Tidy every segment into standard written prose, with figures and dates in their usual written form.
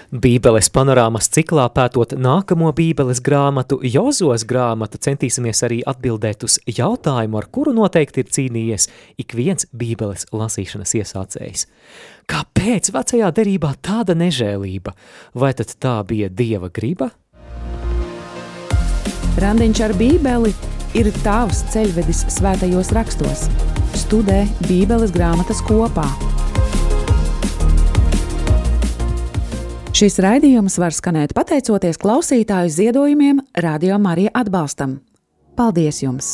Bībeles panorāmas ciklā pētot nākamo Bībeles grāmatu, Jozos grāmatu, centīsimies arī atbildēt uz jautājumu, ar kuru noteikti ir cīnījies ik viens Bībeles lasīšanas iesācējs. Kāpēc vecajā derībā tāda nežēlība? Vai tad tā bija Dieva griba? Randiņš ar Bībeli ir tavs ceļvedis svētajos rakstos. Studē Bībeles grāmatas kopā. Šis raidījums var skanēt pateicoties klausītāju ziedojumiem Radio Marija atbalstam. Paldies jums!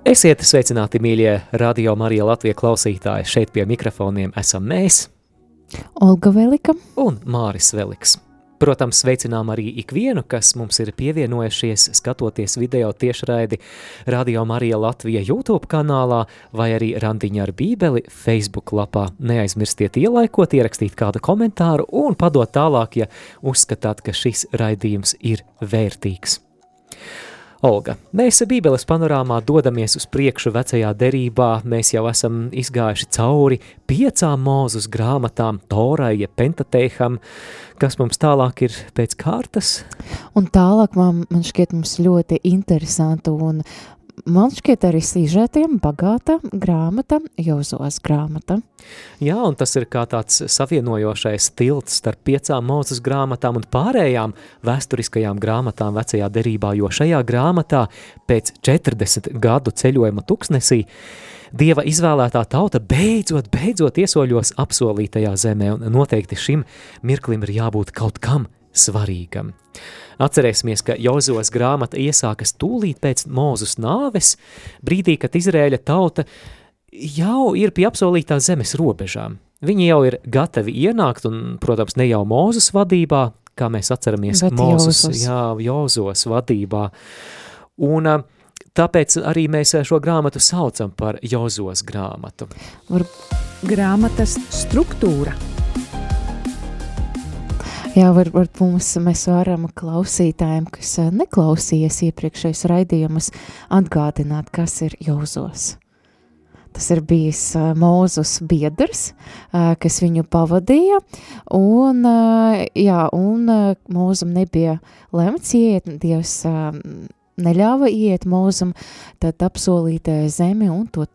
Esiet sveicināti, mīļie Radio Marija Latvija klausītāji. Šeit pie mikrofoniem esam mēs, Olga Velika un Māris Veliks. Protams, sveicinām arī ikvienu, kas mums ir pievienojušies, skatoties video tiešraidi Radio Marija Latvija YouTube kanālā vai arī Randiņa ar Bībeli Facebook lapā. Neaizmirstiet ielaikot, ierakstīt kādu komentāru un padot tālāk, ja uzskatāt, ka šis raidījums ir vērtīgs. Olga, mēs Bībeles panorāmā dodamies uz priekšu vecajā derībā, mēs jau esam izgājuši cauri 5 Mūzes grāmatām, Torai, ja Pentateiham, kas mums tālāk ir pēc kārtas. Un tālāk man šķiet mums ļoti interesanta un man šķiet arī sižetiem bagāta grāmata, Jozos grāmata. Jā, un tas ir kā tāds savienojošais tilts starp 5 Mūzes grāmatām un pārējām vēsturiskajām grāmatām vecajā derībā, jo šajā grāmatā pēc 40 gadu ceļojuma tuksnesī Dieva izvēlētā tauta beidzot iesoļos apsolītajā zemē, un noteikti šim mirklim ir jābūt kaut kam svarīgam. Atcerēsimies, ka Jozos grāmata iesākas tūlīt pēc Mūzes nāves, brīdī, kad Izraēļa tauta jau ir pie apsolītās zemes robežām. Viņi jau ir gatavi ienākt, un, protams, ne jau Mūzes vadībā, kā mēs atceramies, Jozos vadībā. Un tāpēc arī mēs šo grāmatu saucam par Jozos grāmatu. Grāmatas struktūra. Jā, varbūt mēs varam klausītājiem, kas neklausījies iepriekšējos raidījumus, atgādināt, kas ir Jozos. Tas ir bijis Mūzes biedrs, kas viņu pavadīja, un Mūzum nebija lemts iet, Dievs neļāva iet Mūzum, tad apsolītajai zemi un to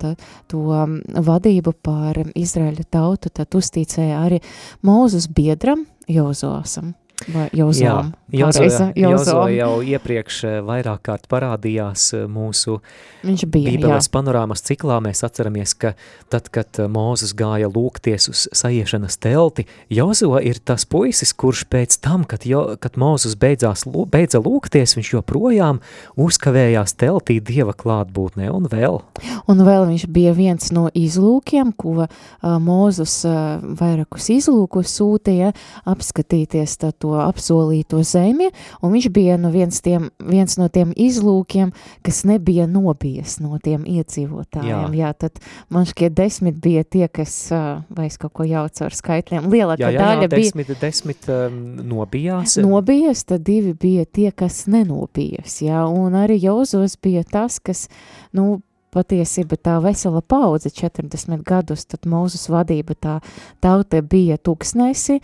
vadību pār Izraēļa tautu, tad uzticēja arī Mūzes biedram Jozosam. Jozo jau iepriekš vairāk kārt parādījās mūsu Bībeles panorāmas ciklā. Mēs atceramies, ka tad, kad Mūzes gāja lūgties uz sajiešanas telti, Jozo ir tas puisis, kurš pēc tam, kad Mūzes beidza lūgties, viņš joprojām uzkavējās teltī Dieva klātbūtnē un vēl. Un vēl viņš bija viens no izlūkiem, ko Mūzes vairākus izlūkus sūtīja apskatīties to apsolīto zemi, un viņš bija viens no tiem izlūkiem, kas nebija nobijies no tiem iedzīvotājiem. Jā, tad man šķiet 10 bija tie, kas, vai es kaut ko jaucu ar skaitļiem, lielākā daļa bija 10 nobijās. Nobijās, tad 2 bija tie, kas nenobijās, jā, un arī Jozos bija tas, kas, patiesība tā vesela paudze 40 gadus, tad Mūzes vadība tā tauta bija tuksnesi,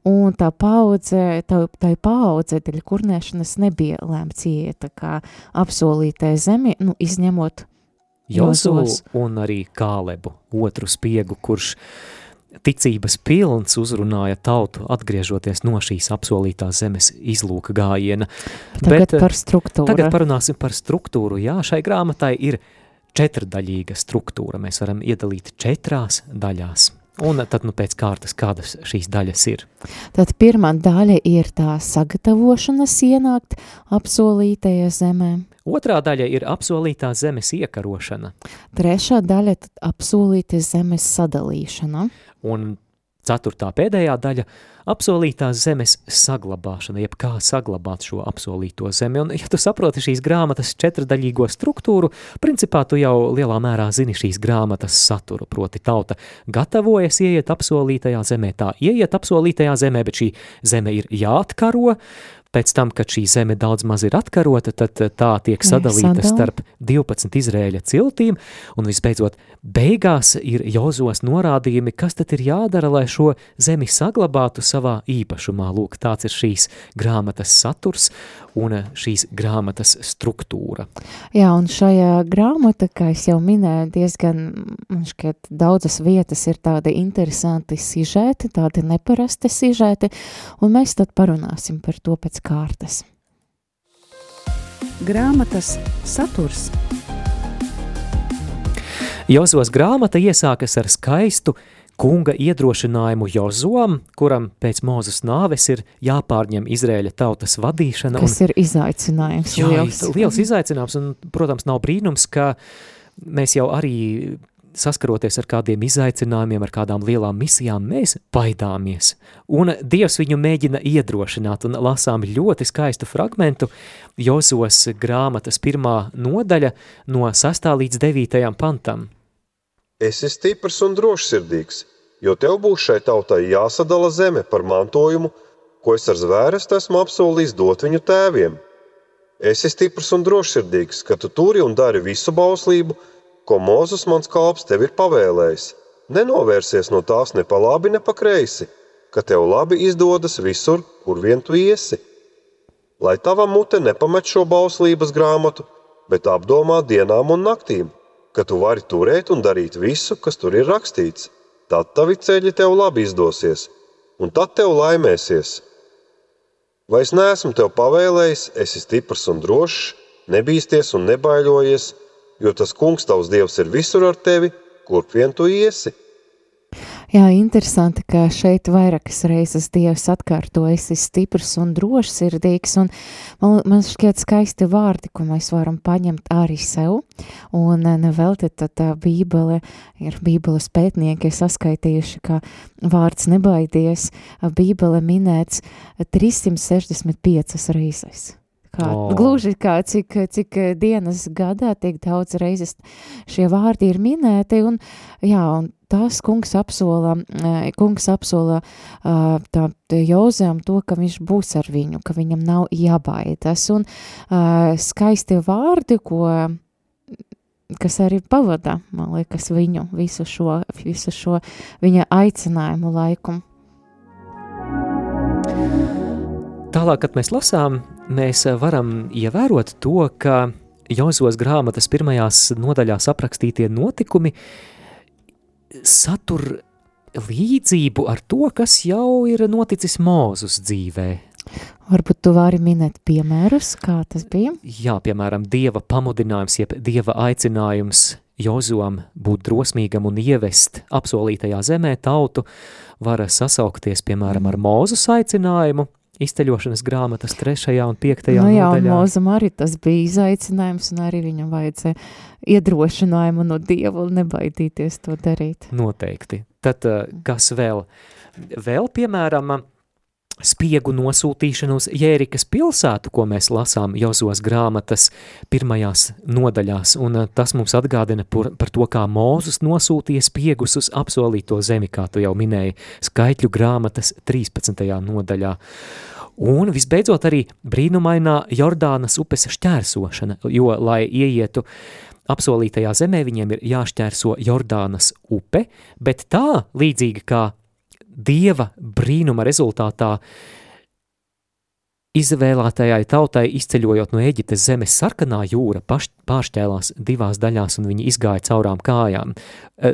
un tā paudze dēļ kurnēšanas nebija lēmts iet, tā kā apsolītai zemi, izņemot Jozos un arī Kālebu, otru spiegu, kurš ticības pilns uzrunāja tautu, atgriežoties no šīs apsolītās zemes izlūka gājiena. Tagad par struktūru. Tagad parunāsim par struktūru. Jā, šai grāmatai ir 4-daļīga struktūra. Mēs varam iedalīt 4 daļās. Un tad pēc kārtas, kādas šīs daļas ir? Tad pirmā daļa ir tā sagatavošanas ienākt apsolītajā zemē. Otrā daļa ir apsolītās zemes iekarošana. Trešā daļa tad apsolītās zemes sadalīšana. Un 4. pēdējā daļa apsolītās zemes saglabāšana, jeb kā saglabāt šo apsolīto zemi. Un, ja tu saproti šīs grāmatas 4-daļīgo struktūru, principā tu jau lielā mērā zini šīs grāmatas saturu, proti tauta gatavojas ieiet apsolītajā zemē, tā ieiet apsolītajā zemē, bet šī zeme ir jāatkaro, pēc tam, kad šī zeme daudz maz ir atkarota, tad tā tiek sadalīta starp 12 Izraēļa ciltīm, un visbeidzot, beigās ir Jozos norādījumi, kas tad ir jādara, lai šo zemi saglabātu savā īpašumā. Lūk, tāds ir šīs grāmatas saturs un šīs grāmatas struktūra. Jā, un šajā grāmata, kā es jau minēju, diezgan, man šķiet, daudzas vietas ir tādi interesanti sižeti, tādi neparasti sižeti, un mēs tad parunāsim par to pēc kārtas. Grāmatas saturs. Jozos grāmata iesākas ar skaistu kunga iedrošinājumu Jozuam, kuram pēc Mūzes nāves ir jāpārņem Izraēļa tautas vadīšana. Kas ir izaicinājums liels. Liels izaicinājums, un, protams, nav brīnums, ka mēs jau arī saskaroties ar kādiem izaicinājumiem, ar kādām lielām misijām, mēs baidāmies. Un Dievs viņu mēģina iedrošināt, un lasām ļoti skaistu fragmentu Jozos grāmatas 1. nodaļa no 6. līdz 9. pantam. Esi stiprs un drošsirdīgs, jo tev būs šai tautai jāsadala zeme par mantojumu, ko es ar zvērestu esmu apsolījis dot viņu tēviem. Esi stiprs un drošsirdīgs, ka tu turi un dari visu bauslību, ko Mūzes mans kalps tev ir pavēlējis. Nenovērsies no tās ne pa labi, ne pa kreisi, ka tev labi izdodas visur, kur vien tu iesi. Lai tava mute nepamet šo bauslības grāmatu, bet apdomā dienām un naktīm, ka tu vari turēt un darīt visu, kas tur ir rakstīts. Tad tavi ceļi tev labi izdosies, un tad tev laimēsies. Vai es neesmu tev pavēlējis, esi stiprs un drošs, nebīsties un nebaiļojies, jo tas kungs tavs Dievs ir visur ar tevi, kurp vien tu iesi. Jā, interesanti, ka šeit vairākas reizes Dievs atkārto, esi stiprs un drošsirdīgs, un man šķiet skaisti vārdi, ko mēs varam paņemt arī sev, un nevelti tad Bībele, ir Bībeles pētnieki saskaitījuši, ka vārds nebaidies, Bībele minēts 365 reizes. Gluži kā cik dienas gadā tiek daudz reizes šie vārdi ir minēti, un tas kungs apsola Jozam to, ka viņš būs ar viņu, ka viņam nav jābaidas, un skaisti vārdi, kas arī pavada, man liekas, viņu visu šo viņa aicinājumu laiku. Tālāk, kad mēs lasām, mēs varam ievērot to, ka Jozos grāmatas 1. nodaļās aprakstītie notikumi satur līdzību ar to, kas jau ir noticis Mūzes dzīvē. Varbūt tu vari minēt piemērus, kā tas bija? Jā, piemēram, Dieva pamudinājums, jeb Dieva aicinājums Jozuam būt drosmīgam un ievest apsolītajā zemē tautu var sasaukties, piemēram, ar Mūzes aicinājumu, izceļošanas grāmatas 3. un 5. nodaļā. Jā, un Mūzam arī tas bija izaicinājums, un arī viņam vajadzēja iedrošinājumu no Dieva nebaidīties to darīt. Noteikti. Tad kas vēl? Vēl, piemēram, spiegu nosūtīšanu uz Jērikas pilsētu, ko mēs lasām Jozos grāmatas 1. nodaļās, un tas mums atgādina par to, kā Mūzes nosūtīja spiegus uz apsolīto zemi, kā tu jau minēji, Skaitļu grāmatas 13. nodaļā. Un visbeidzot arī brīnumainā Jordānas upes šķērsošana, jo, lai ieietu apsolītajā zemē, viņiem ir jāšķērso Jordānas upe, bet tā, līdzīgi kā Dieva brīnuma rezultātā izvēlētajai tautai izceļojot no Ēģiptes zemes sarkanā jūra pāršķēlās 2 daļās, un viņi izgāja caurām kājām.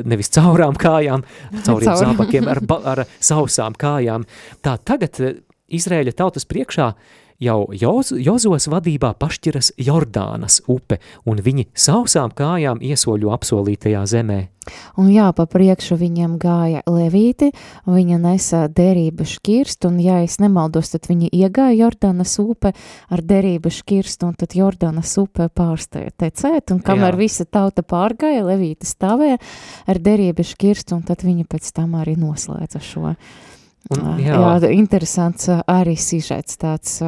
Nevis caurām kājām, cauriem zābakiem, ar sausām kājām. Tā tagad Izraēļa tautas priekšā jau Jozos vadībā pašķiras Jordānas upe, un viņi sausām kājām iesoļo apsolītajā zemē. Un jā, pa priekšu viņam gāja levīti, viņa nesa derību šķirstu, un ja es nemaldos, tad viņi iegāja Jordānas upe ar derību šķirstu, un tad Jordānas upe pārstāja tecēt, un kamēr visa tauta pārgāja, levīti stāvēja ar derību šķirstu, un tad viņi pēc tam arī noslēdza šo. Jā, interesants arī sižets tāds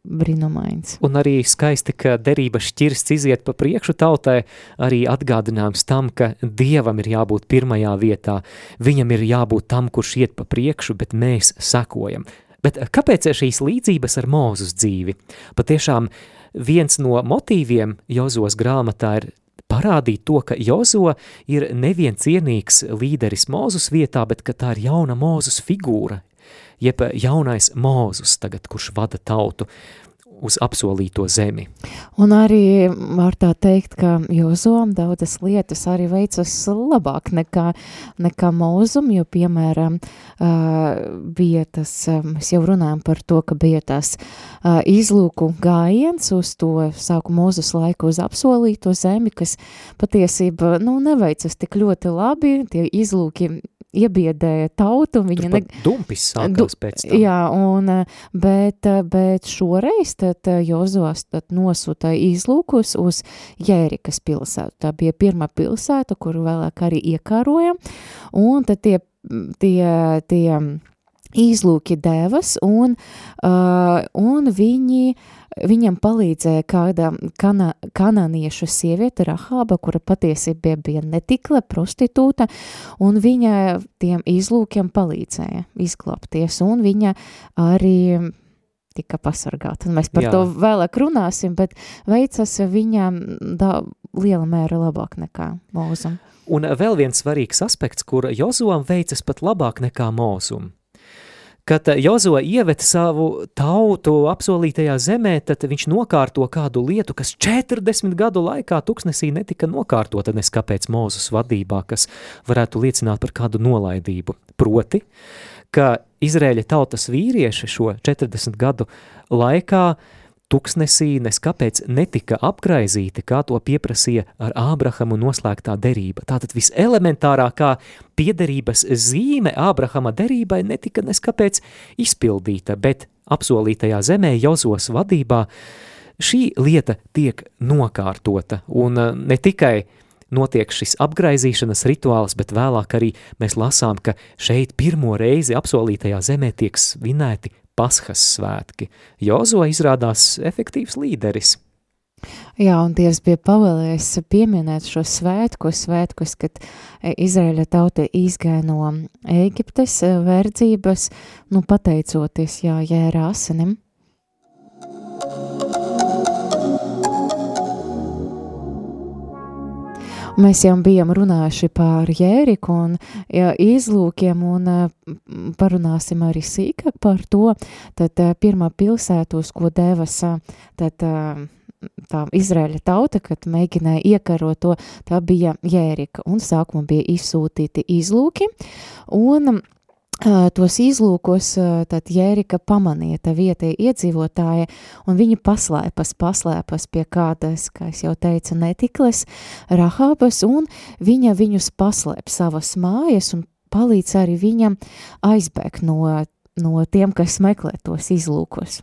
brīnumains. Un arī skaisti, ka derības šķirsts iziet pa priekšu tautai, arī atgādinājums tam, ka Dievam ir jābūt pirmajā vietā, viņam ir jābūt tam, kurš iet pa priekšu, bet mēs sekojam. Bet kāpēc šīs līdzības ar Mūzes dzīvi? Patiešām viens no motīviem Jozos grāmatā ir parādīt to, ka Jozo ir nevien cienīgs līderis Mūzes vietā, bet ka tā ir jauna Mūzes figūra, jeb jaunais Mūzes tagad, kurš vada tautu uz apsolīto zemi. Un arī var tā teikt, ka Jozom daudzas lietas arī veicas labāk nekā Mūzum, jo, piemēram, bija tas, mēs jau runājam par to, ka bija tas izlūku gājiens uz to sāku Mūzes laiku uz apsolīto zemi, kas patiesība, neveicas tik ļoti labi, tie izlūki iebiedēja tautu. Tur pat dumpis sākās pēc tam. Jā, bet šoreiz tad Jozos nosūta izlūkus uz Jērikas pilsētu. Tā bija pirmā pilsēta, kuru vēlāk arī iekāroja, un tad tie izlūki devas, un viņam palīdzēja kāda kanāniešu sieviete Rahaba, kura patiesībā bija netikle, prostitūta, un viņa tiem izlūkiem palīdzēja izglābties, un viņa arī tika pasargāta. Mēs par to vēlāk runāsim, bet veicas viņam liela mēra labāk nekā Mūzum. Un vēl viens svarīgs aspekts, kur Jozoam veicas pat labāk nekā Mūzum. Kad Jozo ieved savu tautu apsolītajā zemē, tad viņš nokārto kādu lietu, kas 40 gadu laikā tuksnesī netika nokārtota neskapēc Mūzes vadībā, kas varētu liecināt par kādu nolaidību. Proti, ka Izraēļa tautas vīrieši šo 40 gadu laikā tuksnesī neskapēc netika apgraizīti, kā to pieprasīja ar Ābrahamu noslēgtā derība. Tātad viselementārākā piederības zīme Ābrahama derībai netika neskapēc izpildīta, bet apsolītajā zemē Jozos vadībā šī lieta tiek nokārtota. Un ne tikai notiek šis apgraizīšanas rituāls, bet vēlāk arī mēs lasām, ka šeit pirmo reizi apsolītajā zemē tiek svinēti Paskas svētki. Jozo izrādās efektīvs līderis. Jā, un Dievs bija pavēlējis pieminēt šo svētkus, kad Izraēļa tauta izgāja no Ēģiptes verdzības, pateicoties Jēra asinim. Mēs jau bijām runājuši par Jēriku un izlūkiem un parunāsim arī sīkāk par to. Tad pirmā pilsēta, uz ko devas tā Izraēļa tauta, kad mēģināja iekarot to, tā bija Jērika. Un sākumā bija izsūtīti izlūki un tos izlūkos tad Jērika pamanīja tā vietēji iedzīvotāji, un viņi paslēpas pie kādas, kā es jau teicu, netikles Rahabas, un viņa viņus paslēp savas mājas un palīdz arī viņam aizbēgt no tiem, kas meklē tos izlūkos.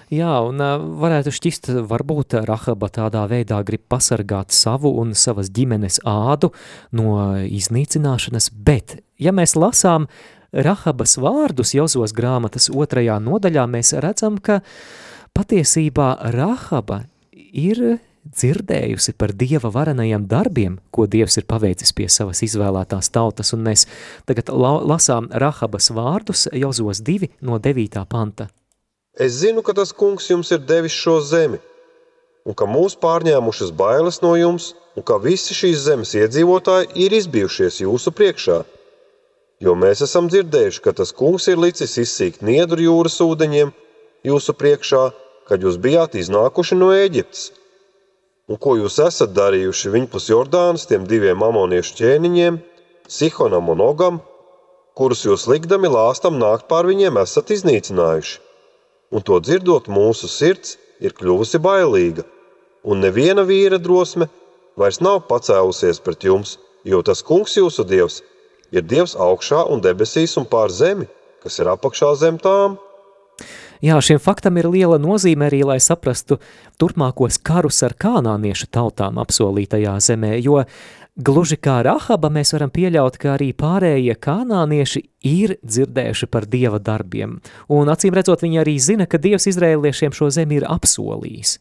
Jā, un varētu šķist, varbūt Rahaba tādā veidā grib pasargāt savu un savas ģimenes ādu no iznīcināšanas, bet, ja mēs lasām Rahabas vārdus Jozos grāmatas 2. nodaļā, mēs redzam, ka patiesībā Rahaba ir dzirdējusi par Dieva varenajiem darbiem, ko Dievs ir paveicis pie savas izvēlētās tautas, un mēs tagad lasām Rahabas vārdus Jozos 2 no 9. panta. Es zinu, ka tas kungs jums ir devis šo zemi, un ka mūs pārņēmušas bailes no jums, un ka visi šīs zemes iedzīvotāji ir izbijušies jūsu priekšā. Jo mēs esam dzirdējuši, ka tas kungs ir licis izsīkt Niedru jūras ūdeņiem jūsu priekšā, kad jūs bijāt iznākuši no Ēģiptes. Un ko jūs esat darījuši viņpus Jordānas tiem 2 amoniešu ķēniņiem, Sihonam un Ogam, kurus jūs likdami lāstam nākt pār viņiem esat iznīcinājuši. Un to dzirdot mūsu sirds ir kļuvusi bailīga, un neviena vīra drosme vairs nav pacēlusies pret jums, jo tas kungs jūsu Dievs ir Dievs augšā un debesīs un pār zemi, kas ir apakšā zem tām. Jā, šiem faktam ir liela nozīme arī, lai saprastu turpmākos karus ar kanāniešu tautām apsolītajā zemē, jo gluži kā Rahaba mēs varam pieļaut, ka arī pārējie kanānieši ir dzirdējuši par Dieva darbiem. Un acīm redzot, viņi arī zina, ka Dievs izraēliešiem šo zemi ir apsolījis.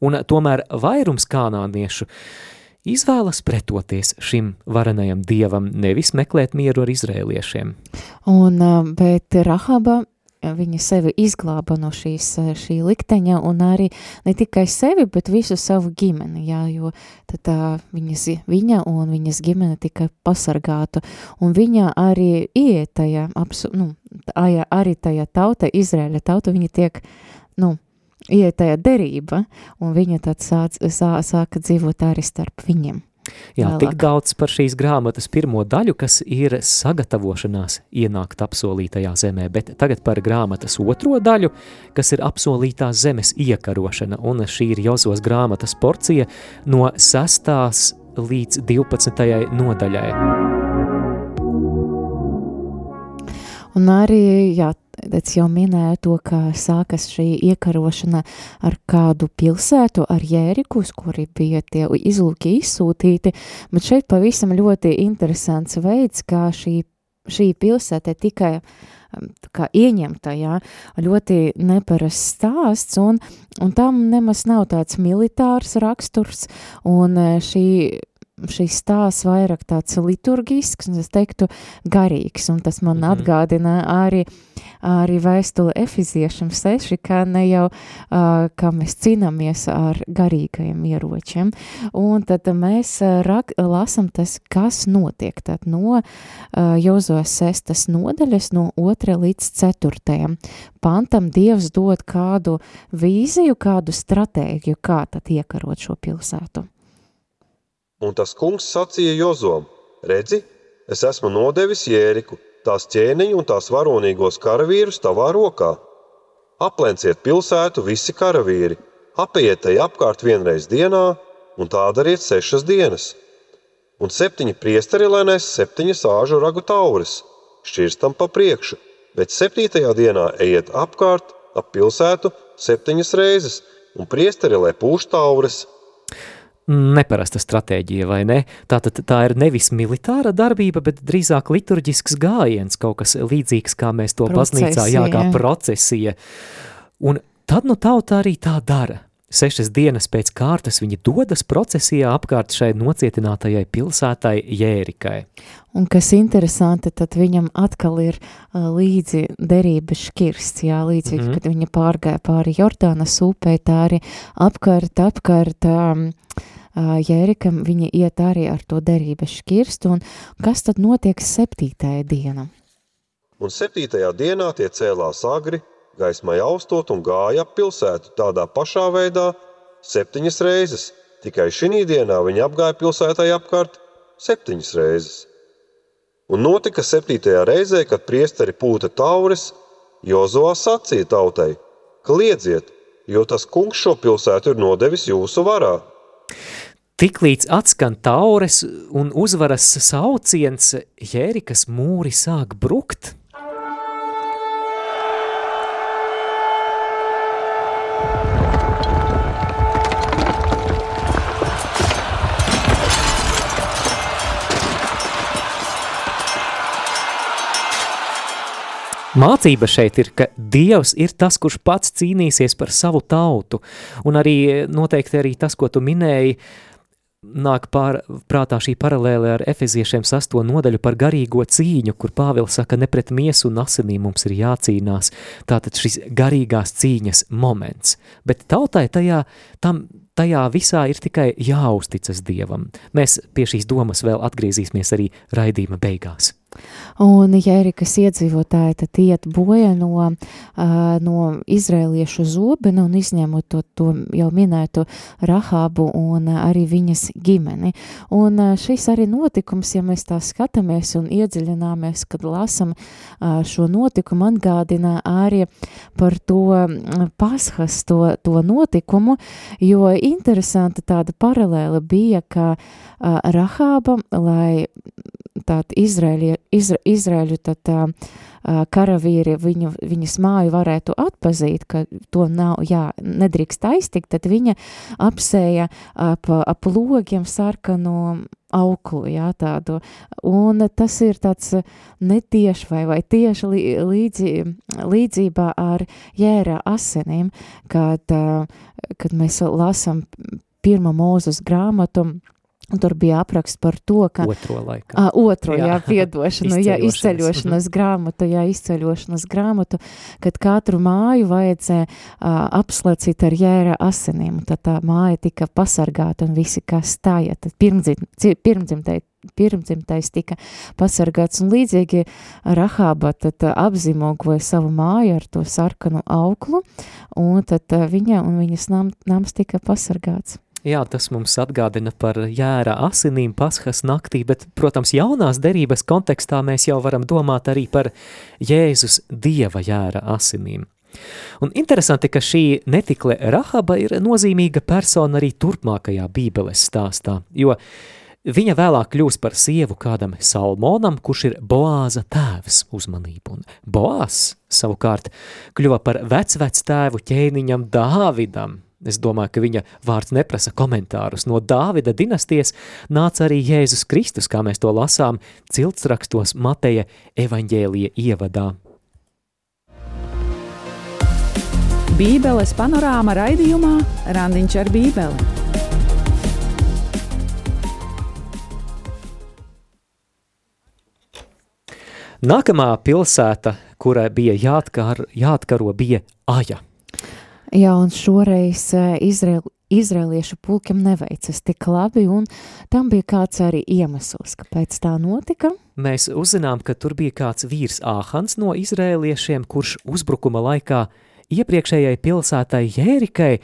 Un tomēr vairums kanāniešu izvēlas pretoties šim varenajam dievam, nevis meklēt mieru ar izrēliešiem. Bet Rahaba viņa sevi izglāba no šī likteņa un arī ne tikai sevi, bet visu savu ģimeni, jā, jo tad viņa un viņas ģimene tika pasargāta, un viņa arī iet tajā, arī tajā tauta, Izraēļa tauta, viņa tiek, iet tajā derība, un viņa tad sāka dzīvot arī starp viņiem. Jā, Vēlāk. tik daudz par šīs grāmatas pirmo daļu, kas ir sagatavošanās ienākt apsolītajā zemē, bet tagad par grāmatas otro daļu, kas ir apsolītās zemes iekarošana, un šī ir Jozos grāmatas porcija no 6. līdz 12. nodaļai. Un arī, jā, es jau minēju to, ka sākas šī iekarošana ar kādu pilsētu, ar Jērikus, kuri bija tie izlūki izsūtīti, bet šeit pavisam ļoti interesants veids, kā šī pilsēta tikai kā ieņemta, jā, ļoti neparasts stāsts, un tam nemaz nav tāds militārs raksturs, un šīs stāsts vairāk tāds liturgisks, un es teiktu garīgs, un tas man atgādina arī vēstuli Efeziešiem 6, kā ne jau, kā mēs cīnāmies ar garīgajiem ieročiem, un tad mēs lasam tas, kas notiek, tad no Jozos 6. nodaļas, no 2. līdz 4. pantam Dievs dod kādu vīziju, kādu stratēģiju, kā tad iekarot šo pilsētu. Un tas kungs sacīja Jozom: redzi, es esmu nodevis Jēriku, tās ķēniņu un tās varonīgos karavīrus tavā rokā. Aplenciet pilsētu visi karavīri, apeiet tai apkārt vienreiz dienā, un tā dariet 6 dienas. Un 7 priesteri lai nes 7 āžu ragu taures, šķirstam pa priekšu, bet 7. dienā ejiet apkārt ap pilsētu 7 reizes, un priesteri lai pūš taures. Neparasta stratēģija, vai ne? Tātad tā ir nevis militāra darbība, bet drīzāk liturģisks gājiens, kaut kas līdzīgs, kā mēs to baznīcā, kā procesija. Un tad tauta arī tā dara. 6 dienas pēc kārtas viņi dodas procesijā apkārt šai nocietinātajai pilsētai Jērikai. Un kas interesanti, tad viņam atkal ir līdzi derības škirsts, jā, līdzīgi, kad viņa pārgāja pāri Jordānas upei, tā arī apkārt Jērikam viņa iet arī ar to derības škirstu, un kas tad notiek 7. dienā? Un 7. dienā tie cēlās agri, gaismai austot un gāja ap pilsētu tādā pašā veidā 7 reizes, tikai šī dienā viņi apgāja pilsētai apkārt 7 reizes. Un notika 7. reizē, kad priesteri pūta taures, Jozua sacīja tautai: kliedziet, jo tas kungs šo pilsētu ir nodevis jūsu varā. Tiklīdz atskan taures un uzvaras sauciens, Jērikas mūri sāk brukt. Mācība šeit ir, ka Dievs ir tas, kurš pats cīnīsies par savu tautu, un arī noteikti arī tas, ko tu minēji, nāk prātā šī paralēle ar Efeziešiem 6. nodaļu par garīgo cīņu, kur Pāvils saka, ne pret miesu un asinīm mums ir jācīnās. Tātad šis garīgās cīņas moments. Bet tautai tajā visā ir tikai jāuzticas Dievam. Mēs pie šīs domas vēl atgriezīsimies arī raidījuma beigās. Un Jērikas iedzīvotāji tad iet boja no izraeliešu zobena un izņemot to jau minēto Rahābu un arī viņas ģimeni. Un šis arī notikums, ja mēs tā skatāmies un iedziļināmies, kad lasam šo notikumu, atgādina arī par to Paschas, to notikumu, jo interesanta tāda paralēla bija, ka Rahāba, lai tātad Izraēļu karavīri viņas māju varētu atpazīt, ka to nedrīkst aiztikt, tad viņa apsēja ap logiem sarkanu auklu, tādu. Un tas ir tāds netieši vai tieši līdzībā ar Jēra asinīm, kad mēs lasam 1. Mūzes grāmatu Un tur bija apraksts par to, ka... Otro laikā. Piedošanu, izceļošanas grāmatu, kad katru māju vajadzēja apslacīt ar jēra asinīm. Tad tā māja tika pasargāta un visi, kas stāja, tad pirmdzimtais tika pasargāts. Un līdzīgi Rahāba tad apzīmogoja savu māju ar to sarkanu auklu, un tad viņa un viņas nams tika pasargāts. Jā, tas mums atgādina par jēra asinīm Paskas naktī, bet, protams, jaunās derības kontekstā mēs jau varam domāt arī par Jēzus Dieva jēra asinīm. Un interesanti, ka šī netikle Rahaba ir nozīmīga persona arī turpmākajā Bībeles stāstā, jo viņa vēlāk kļūs par sievu kādam Salmonam, kurš ir Boāza tēvs, uzmanību. Un Boāzs savukārt kļuva par vectēvu ķēniņam Dāvidam. Es domāju, ka viņa vārds neprasa komentārus. No Dāvida dinastijas nāca arī Jēzus Kristus, kā mēs to lasām ciltsrakstos Mateja evaņģēlija ievadā. Bībeles panorāma raidījumā Randiņš ar Bībeli. Nākamā pilsēta, kurai bija jāatkaro, bija Aja. Jā, un šoreiz izraeliešu pulkiem neveicas tik labi, un tam bija kāds arī iemesls, kāpēc tā notika. Mēs uzzinām, ka tur bija kāds vīrs Āhans no izraeliešiem, kurš uzbrukuma laikā iepriekšējai pilsētai Jērikai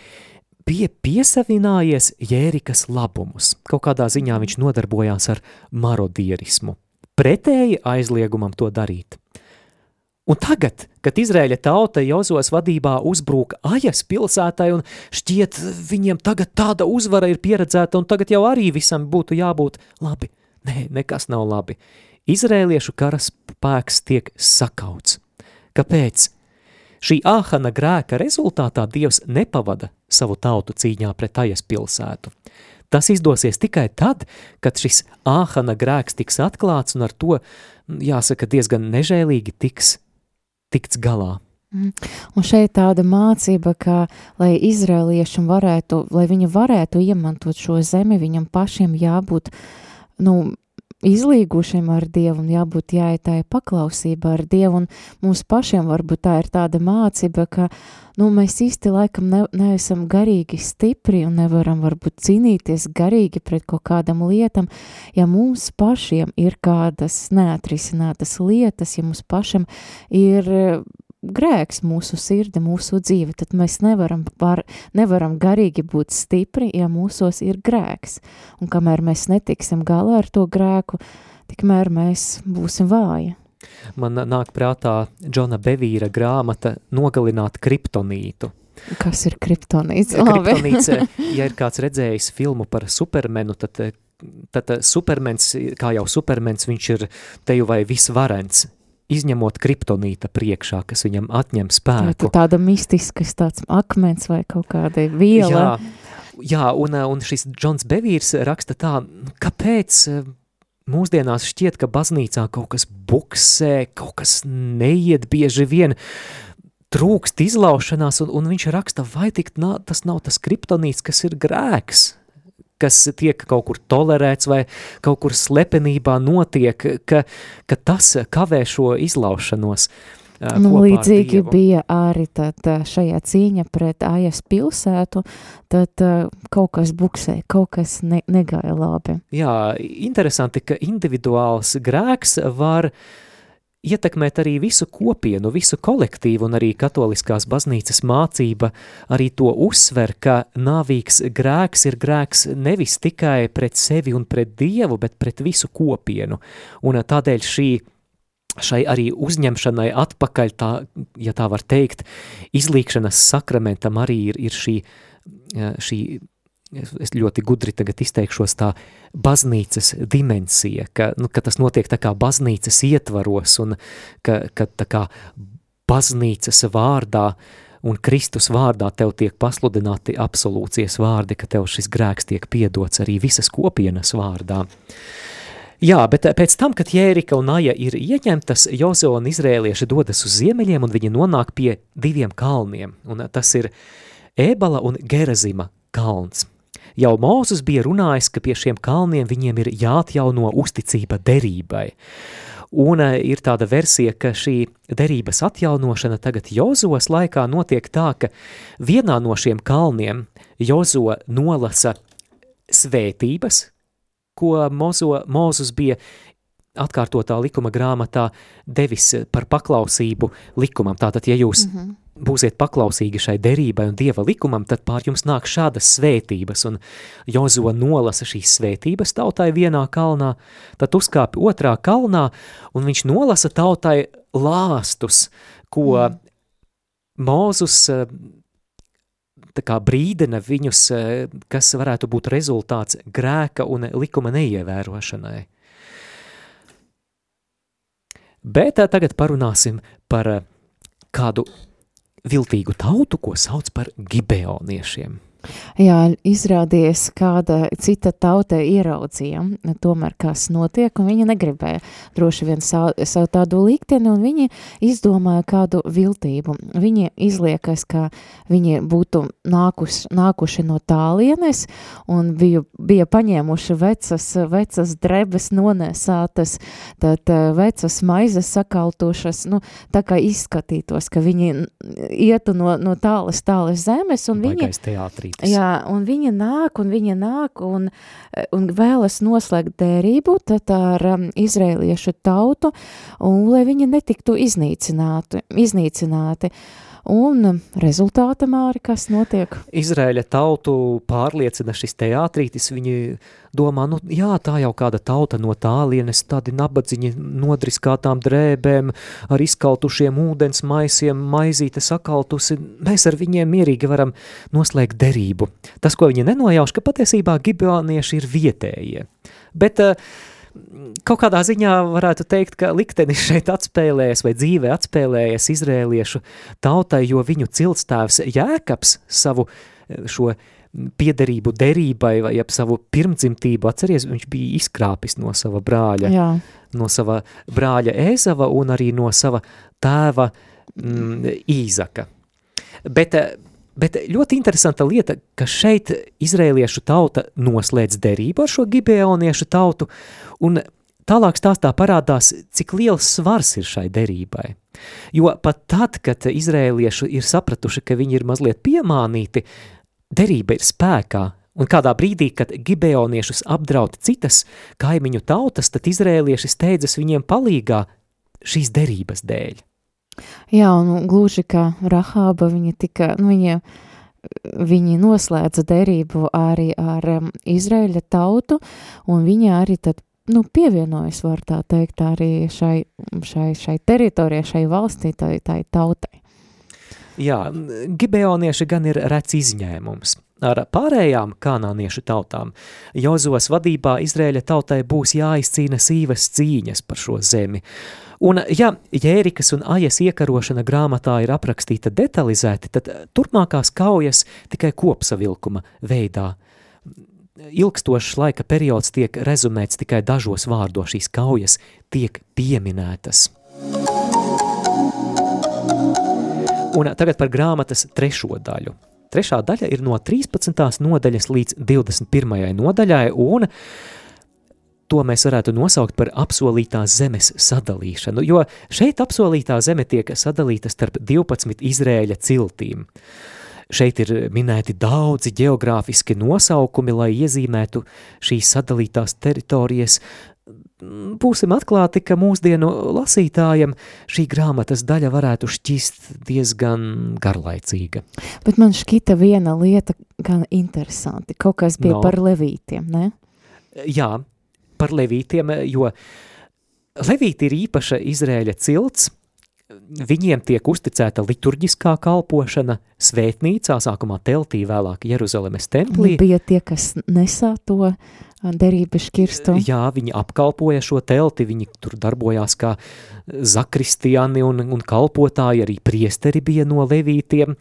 bija piesavinājies Jērikas labumus. Kaut kādā ziņā viņš nodarbojās ar marodierismu. Pretēji aizliegumam to darīt. Un tagad, kad Izraēļa tauta Jozos vadībā uzbrūk Ajas pilsētai un šķiet viņiem tagad tāda uzvara ir pieredzēta un tagad jau arī visam būtu jābūt labi. Nē, nekas nav labi. Izraēliešu karaspēks tiek sakauts. Kāpēc? Šī Āhana grēka rezultātā Dievs nepavada savu tautu cīņā pret Ajas pilsētu. Tas izdosies tikai tad, kad šis Āhana grēks tiks atklāts un ar to, jāsaka, diezgan nežēlīgi tikts galā. Un šeit tāda mācība, ka, lai izraeliešiem lai viņi varētu iemantot šo zemi, viņam pašiem jābūt, izlīgušiem ar Dievu un jābūt jāietāja paklausība ar Dievu, un mums pašiem varbūt tā ir tāda mācība, ka, mēs īsti laikam neesam garīgi stipri un nevaram varbūt cīnīties garīgi pret kaut kādam lietam, ja mums pašiem ir kādas neatrisinātas lietas, ja mums pašiem ir grēks mūsu sirdi, mūsu dzīve, tad mēs nevaram garīgi būt stipri, ja mūsos ir grēks. Un kamēr mēs netiksim galā ar to grēku, tikmēr mēs būsim vāji. Man nāk prātā Džona Bevīra grāmata Nogalināt kriptonītu. Kas ir kriptonīts? Kriptonīts, ja ir kāds redzējis filmu par Supermenu, tad Supermens, kā jau Supermens, viņš ir teju vai visvarens, izņemot kriptonīta priekšā, kas viņam atņem spēku. Tāda mistiskas tāds akmens vai kaut kāda viela. Jā, un šis Džons Bevīrs raksta tā, kāpēc mūsdienās šķiet, ka baznīcā kaut kas buksē, kaut kas neiet bieži vien, trūkst izlaušanās, un viņš raksta, vai tas nav tas kriptonīts, kas ir grēks, kas tiek kaut kur tolerēts vai kaut kur slepenībā notiek, ka tas kavē šo izlaušanos līdzīgi bija arī tad šajā cīņa pret Ajas pilsētu, tad kaut kas buksē, kaut kas negāja labi. Jā, interesanti, ka individuāls grēks var ietekmēt arī visu kopienu, visu kolektīvu, un arī katoliskās baznīcas mācība arī to uzsver, ka nāvīgs grēks ir grēks nevis tikai pret sevi un pret Dievu, bet pret visu kopienu. Un tādēļ šai arī uzņemšanai atpakaļ, ja tā var teikt, izlīkšanas sakramentam arī ir šī, es ļoti gudri tagad izteikšos, tā baznīcas dimensija, ka tas notiek tā kā baznīcas ietvaros un ka tā kā baznīcas vārdā un Kristus vārdā tev tiek pasludināti absolūcijas vārdi, ka tev šis grēks tiek piedots arī visas kopienas vārdā. Jā, bet pēc tam, kad Jērika un Aja ir ieņemtas, Jozo un izrēlieši dodas uz ziemeļiem un viņi nonāk pie 2 kalniem, un tas ir Ēbala un Gerazima kalns. Jau Mūzes bija runājis, ka pie šiem kalniem viņiem ir jāatjauno uzticība derībai. Un ir tāda versija, ka šī derības atjaunošana tagad Jozos laikā notiek tā, ka vienā no šiem kalniem Jozo nolasa svētības, ko Mūzes bija atkārtotā likuma grāmatā devis par paklausību likumam. Tātad, ja jūs būsiet paklausīgi šai derībai un Dieva likumam, tad pār jums nāk šādas svētības, un Jozo nolasa šīs svētības tautai vienā kalnā, tad uzkāpj otrā kalnā, un viņš nolasa tautai lāstus, ko Mūzes tā kā brīdina viņus, kas varētu būt rezultāts grēka un likuma neievērošanai. Bet tagad parunāsim par kādu viltīgu tautu, ko sauc par gibeoniešiem. Jā, izrādījās kāda cita tauta ieraudzīja, tomēr kas notiek, un viņi negribēja droši vien savu tādu likteni, un viņi izdomāja kādu viltību. Viņi izliekas, ka viņi būtu nākuši no tālienes, un bija paņēmuši vecas drebes nonēsātas, tad vecas maizes sakaltušas, tā kā izskatītos, ka viņi ietu no tālas zemes, un Baigais teātrītis. Jā, un viņa nāk un vēlas noslēgt derību tad ar izraēliešu tautu, un lai viņi netiktu iznīcināti. Un rezultāta, Māri, kas notiek? Izraēļa tautu pārliecina šis teātrītis, viņi domā, jā, tā jau kāda tauta no tālienes, tādi nabadziņi nodriskātām drēbēm, ar izkaltušiem ūdens maisiem, maizīte sakaltusi, mēs ar viņiem mierīgi varam noslēgt derību. Tas, ko viņi nenojauš, ka patiesībā gibeonieši ir vietējie. Bet kaut kādā ziņā varētu teikt, ka liktenis šeit atspēlējas vai dzīvē atspēlējas izrēliešu tautai, jo viņu ciltstēvs Jēkabs savu šo piederību derībai vai savu pirmdzimtību, atceries, viņš bija izkrāpis no sava brāļa, no sava brāļa Ēzava un arī no sava tēva Īzaka. Bet ļoti interesanta lieta, ka šeit izraēliešu tauta noslēdz derību ar šo gibeoniešu tautu, un tālāk stāstā parādās, cik liels svars ir šai derībai. Jo pat tad, kad izraēlieši ir sapratuši, ka viņi ir mazliet piemānīti, derība ir spēkā, un kādā brīdī, kad gibeoniešus apdraud citas kaimiņu tautas, tad izraēlieši steidzas viņiem palīgā šīs derības dēļ. Jā, un gluži kā Rahāba, viņi noslēdza derību arī ar Izraēļa tautu, un viņi arī tad, pievienojas, var tā teikt, arī šai teritorijai, šai valstī, tai tautai. Jā, gibeonieši gan ir rets izņēmums. Ar pārējām kanāniešu tautām Jozos vadībā Izraēļa tautai būs jāizcīna sīvas cīņas par šo zemi. Un ja Jērikas un Ajas iekarošana grāmatā ir aprakstīta detalizēti, tad turpmākās kaujas tikai kopsavilkuma veidā. Ilgstošs laika periods tiek rezumēts tikai dažos vārdos, šīs kaujas tiek pieminētas. Un tagad par grāmatas trešo daļu. Trešā daļa ir no 13. nodaļas līdz 21. nodaļai, un to mēs varētu nosaukt par apsolītās zemes sadalīšanu, jo šeit apsolītā zeme tiek sadalīta starp 12 Izraēļa ciltīm. Šeit ir minēti daudzi geogrāfiski nosaukumi, lai iezīmētu šīs sadalītās teritorijas. Būsim atklāti, ka mūsdienu lasītājiem šī grāmatas daļa varētu šķist diezgan garlaicīga. Bet man šķita viena lieta gan interesanti, kaut kas bija par levītiem, ne? Jā, par levītiem, jo levīti ir īpaša Izraēļa cilts, viņiem tiek uzticēta liturģiskā kalpošana svētnīcā, sākumā teltī, vēlāk Jeruzalemes templī. Bija tie, kas nesā to derības šķirstu. Jā, viņi apkalpoja šo telti, viņi tur darbojās kā zakristiani un kalpotāji, arī priesteri bija no levītiem,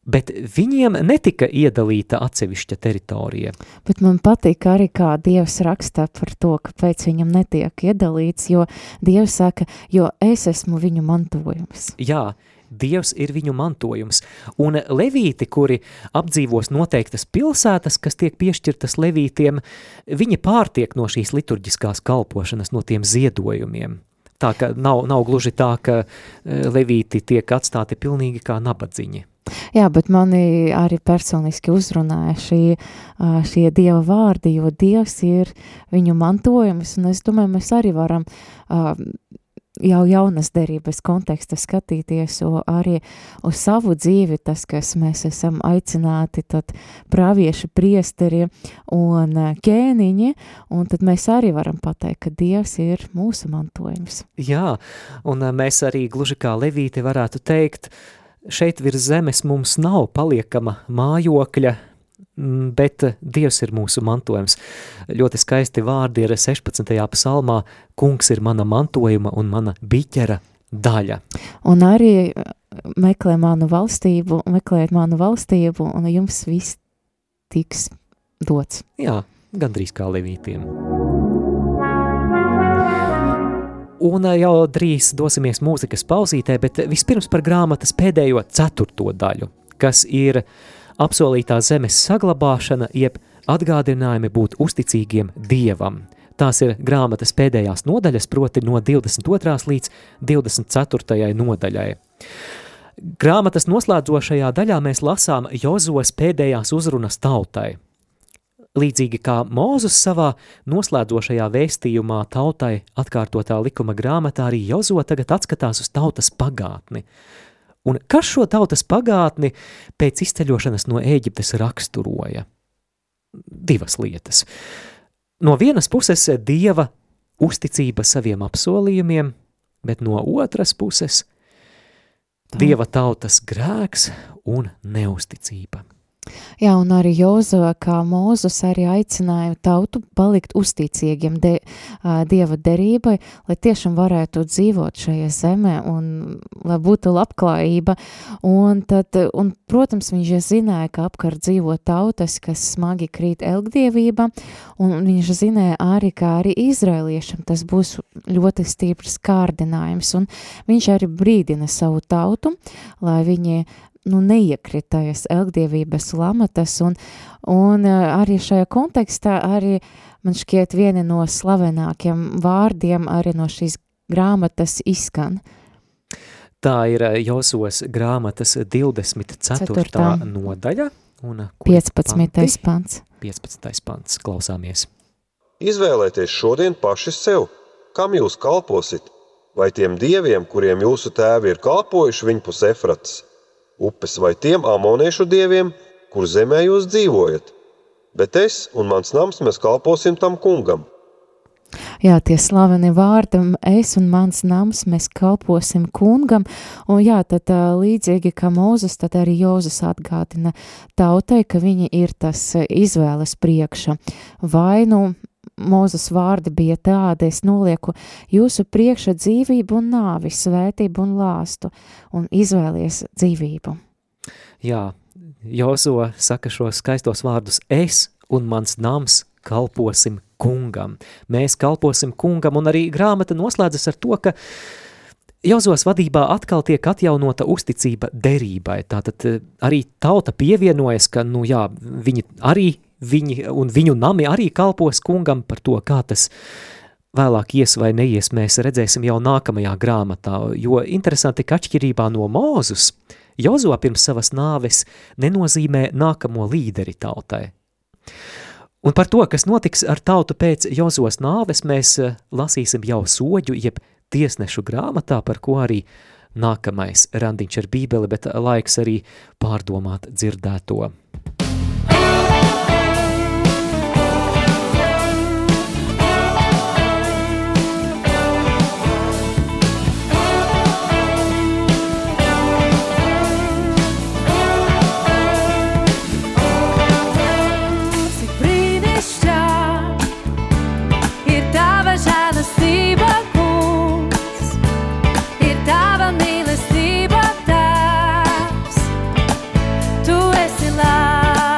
bet viņiem netika iedalīta atsevišķa teritorija. Bet man patīk arī, kā Dievs rakstā par to, kāpēc viņam netiek iedalīts, jo Dievs saka, jo es esmu viņu mantojums. Jā, Dievs ir viņu mantojums, un levīti, kuri apdzīvos noteiktas pilsētas, kas tiek piešķirtas levītiem, viņi pārtiek no šīs liturģiskās kalpošanas, no tiem ziedojumiem. Tā ka nav gluži tā, ka levīti tiek atstāti pilnīgi kā nabadziņi. Jā, bet mani arī personiski uzrunāja šie Dieva vārdi, jo Dievs ir viņu mantojums, un es domāju, mēs arī varam jau jaunas derības konteksta skatīties arī uz savu dzīvi, tas, kas mēs esam aicināti, tad pravieši, priesteri un ķēniņi, un tad mēs arī varam pateikt, ka Dievs ir mūsu mantojums. Jā, un mēs arī gluži kā levīti varētu teikt, šeit virs zemes mums nav paliekama mājokļa, bet Dievs ir mūsu mantojums. Ļoti skaisti vārdi ir 16. psalmā, kungs ir mana mantojuma un mana biķera daļa. Un arī meklējiet manu valstību, un jums viss tiks dots. Jā, gandrīz kā levītiem. Un jau drīz dosimies mūzikas pauzītē, bet vispirms par grāmatas pēdējo 4. daļu, kas ir apsolītā zemes saglabāšana, jeb atgādinājumi būt uzticīgiem Dievam. Tās ir grāmatas pēdējās nodaļas, proti no 22. līdz 24. nodaļai. Grāmatas noslēdzošajā daļā mēs lasām Jozuas pēdējās uzrunas tautai. Līdzīgi kā Mūzes savā noslēdzošajā vēstījumā tautai atkārtotā likuma grāmatā, arī Jozua tagad atskatās uz tautas pagātni. Un kas šo tautas pagātni pēc izceļošanas no Ēģiptes raksturoja? 2 lietas. No vienas puses Dieva uzticība saviem apsolījumiem, bet no otras puses Dieva tautas grēks un neusticība. Jā, un arī Jozua, kā Mūzes, arī aicināja tautu palikt uzticīgiem Dieva derībai, lai tiešām varētu dzīvot šajā zemē un lai būtu labklājība. Un, protams, viņš zināja, ka apkārt dzīvo tautas, kas smagi krīt elgdievībā, un viņš zināja arī, ka arī izraeliešiem tas būs ļoti stiprs kārdinājums, un viņš arī brīdina savu tautu, lai viņi neiekritējas elgdievības lamatas, un arī šajā kontekstā arī man šķiet vieni no slavenākiem vārdiem arī no šīs grāmatas izskan. Tā ir Josuas grāmatas 24. nodaļa un 15. pants. 15. pants, klausāmies. Izvēlēties šodien paši sev, kam jūs kalposit, vai tiem dieviem, kuriem jūsu tēvi ir kalpojuši viņpus Efratas upes, vai tiem amoniešu dieviem, kur zemē jūs dzīvojat. Bet es un mans nams mēs kalposim tam kungam. Jā, tie slaveni vārdi, es un mans nams mēs kalposim kungam, un jā, tad līdzīgi kā Mūzes, tad arī Jozes atgādina tautai, ka viņi ir tas izvēles priekša. Vai Mūzes vārdi bija tādi, es nolieku jūsu priekša dzīvību un nāvi, svētību un lāstu, un izvēlies dzīvību. Jā, Jozua saka šos skaistos vārdus, es un mans nams kalposim kungam. Mēs kalposim kungam, un arī grāmata noslēdzas ar to, ka Jozuas vadībā atkal tiek atjaunota uzticība derībai. Tātad arī tauta pievienojas, ka, viņi un viņu nami arī kalpos kungam. Par to, kā tas vēlāk ies vai neies, mēs redzēsim jau nākamajā grāmatā, jo interesanti, ka atšķirībā no Mūzes, Jozua pirms savas nāves nenozīmē nākamo līderi tautai. Un par to, kas notiks ar tautu pēc Jozuas nāves, mēs lasīsim jau soģu, jeb tiesnešu grāmatā, par ko arī nākamais randiņš ar Bībeli, bet laiks arī pārdomāt dzirdēto. Tu esi labs.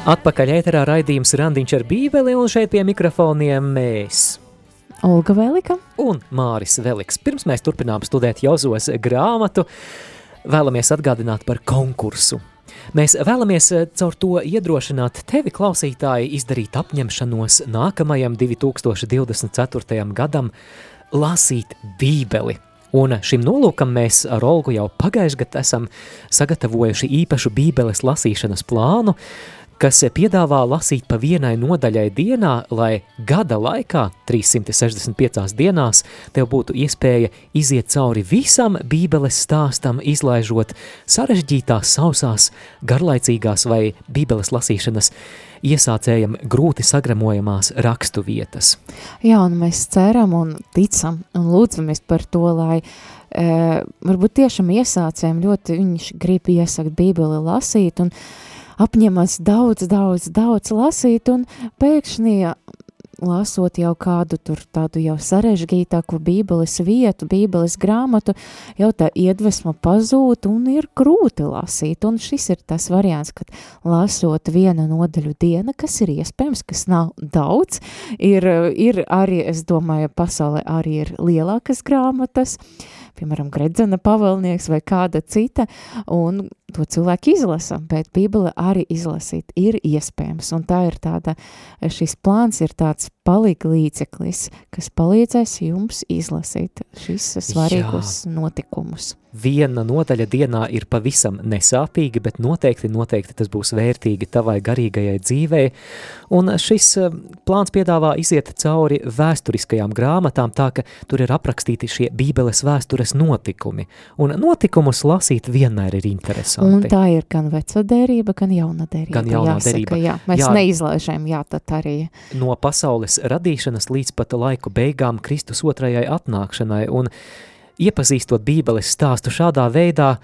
Atpakaļ ēterā raidījums Randiņš ar Bībeli, un šeit pie mikrofoniem mēs. Olga Velika Un Māris Veliks. Pirms mēs turpinām studēt Jozos grāmatu, vēlamies atgādināt par konkursu. Mēs vēlamies caur to iedrošināt tevi, klausītāji, izdarīt apņemšanos nākamajam 2024. gadam lasīt Bībeli. Un šim nolūkam mēs ar Olgu jau pagājušajā gadā esam sagatavojuši īpašu Bībeles lasīšanas plānu, kas piedāvā lasīt pa vienai nodaļai dienā, lai gada laikā, 365 dienās, tev būtu iespēja iziet cauri visam Bībeles stāstam, izlaižot sarežģītās, sausās, garlaicīgās vai Bībeles lasīšanas iesācējam grūti sagramojamās rakstu vietas. Jā, un mēs ceram un ticam un lūdzamies par to, lai varbūt tiešām iesācējiem ļoti viņš grib iesakt Bībeli lasīt un apņemas daudz lasīt, un pēkšņi lasot jau kādu tur tādu jau sarežģītāku Bībeles vietu, Bībeles grāmatu, jau tā iedvesma pazūd un ir grūti lasīt. Un šis ir tas variants, kad lasot vienu nodaļu diena, kas ir iespējams, kas nav daudz, ir arī, es domāju, pasaulē arī ir lielākas grāmatas, piemēram, Gredzena pavēlnieks vai kāda cita, un to cilvēki izlasa, bet Bībele arī izlasīt ir iespējams, un tā ir tāda, šis plāns ir tāds palīglīdzeklis, kas palīdzēs jums izlasīt šis svarīgos notikumus. Viena nodaļa dienā ir pavisam nesāpīga, bet noteikti tas būs vērtīgi tavai garīgajai dzīvei, un šis plāns piedāvā iziet cauri vēsturiskajām grāmatām, tā ka tur ir aprakstīti šie Bībeles vēstures notikumi, un notikumus lasīt vienmēr ir interesanti. Un tā ir gan vecā derība, gan jaunā derība. Gan jaunā derība. Jā, mēs neizlaižam, tad arī. No pasaules radīšanas līdz pat laiku beigām Kristus otrajai atnākšanai, un iepazīstot Bībeles stāstu šādā veidā,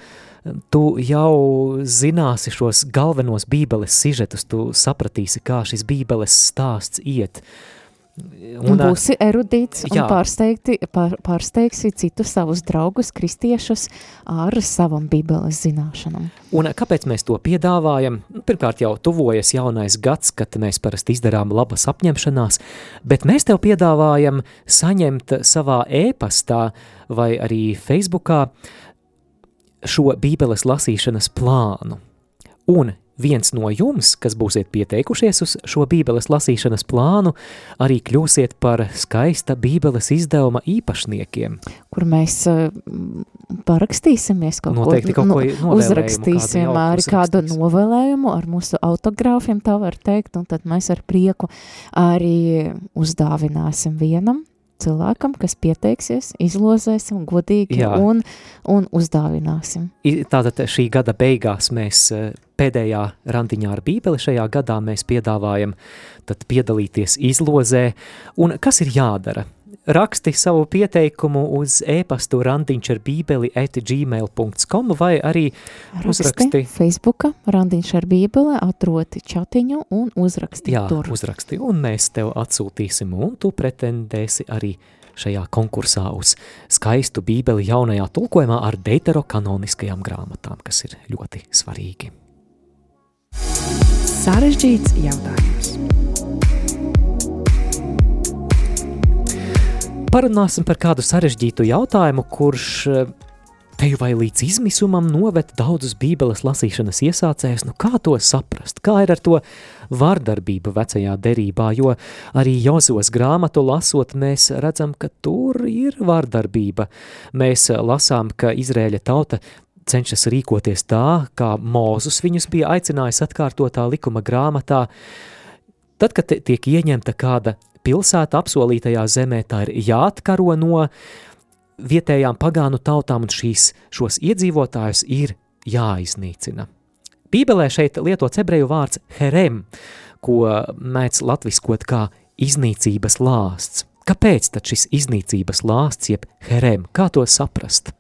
tu jau zināsi šos galvenos Bībeles sižetus, tu sapratīsi, kā šis Bībeles stāsts iet. Un būsi erudīts un pārsteigsi citus savus draugus, kristiešus ar savam Bībeles zināšanām. Un kāpēc mēs to piedāvājam? Pirmkārt jau tuvojas jaunais gads, kad mēs parasti izdarām labas apņemšanās, bet mēs tev piedāvājam saņemt savā e-pastā vai arī Facebookā šo Bībeles lasīšanas plānu. Un viens no jums, kas būsiet pieteikušies uz šo Bībeles lasīšanas plānu, arī kļūsiet par skaista Bībeles izdevuma īpašniekiem. Kur mēs parakstīsimies kaut Noteikti ko, uzrakstīsim arī kādu novēlējumu ar mūsu autogrāfiem, tā var teikt, un tad mēs ar prieku arī uzdāvināsim vienam cilvēkam, kas pieteiksies, izlozēsim godīgi un uzdāvināsim. Tātad šī gada beigās mēs pēdējā randiņā ar Bībeli šajā gadā mēs piedāvājam tad piedalīties izlozē. Un kas ir jādara? Raksti savu pieteikumu uz e-pastu randiņšarbībeli@gmail.com vai arī uzraksti Facebooka Randiņš ar Bībeli, atroti čatiņu un uzraksti tur. Jā, uzraksti, un mēs tev atsūtīsim, un tu pretendēsi arī šajā konkursā uz skaistu Bībeli jaunajā tulkojumā ar deuterokanoniskajām grāmatām, kas ir ļoti svarīgi. Sarežģīts jautājums. Parunāsim par kādu sarežģītu jautājumu, kurš teju vai līdz izmisumam noved daudzus Bībeles lasīšanas iesācējus. Kā to saprast? Kā ir ar to vardarbību vecajā derībā? Jo arī Jozos grāmatu lasot, mēs redzam, ka tur ir vardarbība. Mēs lasām, ka Izraēļa tauta cenšas rīkoties tā, kā Mūzus viņus bija aicinājis atkārtotā likuma grāmatā. Tad, kad tiek ieņemta kāda pilsēta apsolītajā zemē, tā ir jāatkaro no vietējām pagānu tautām, un šos iedzīvotājus ir jāiznīcina. Bībelē šeit lietots ebreju vārds herem, ko mēdz latviskot kā iznīcības lāsts. Kāpēc tad šis iznīcības lāsts, jeb herem? Kā to saprast?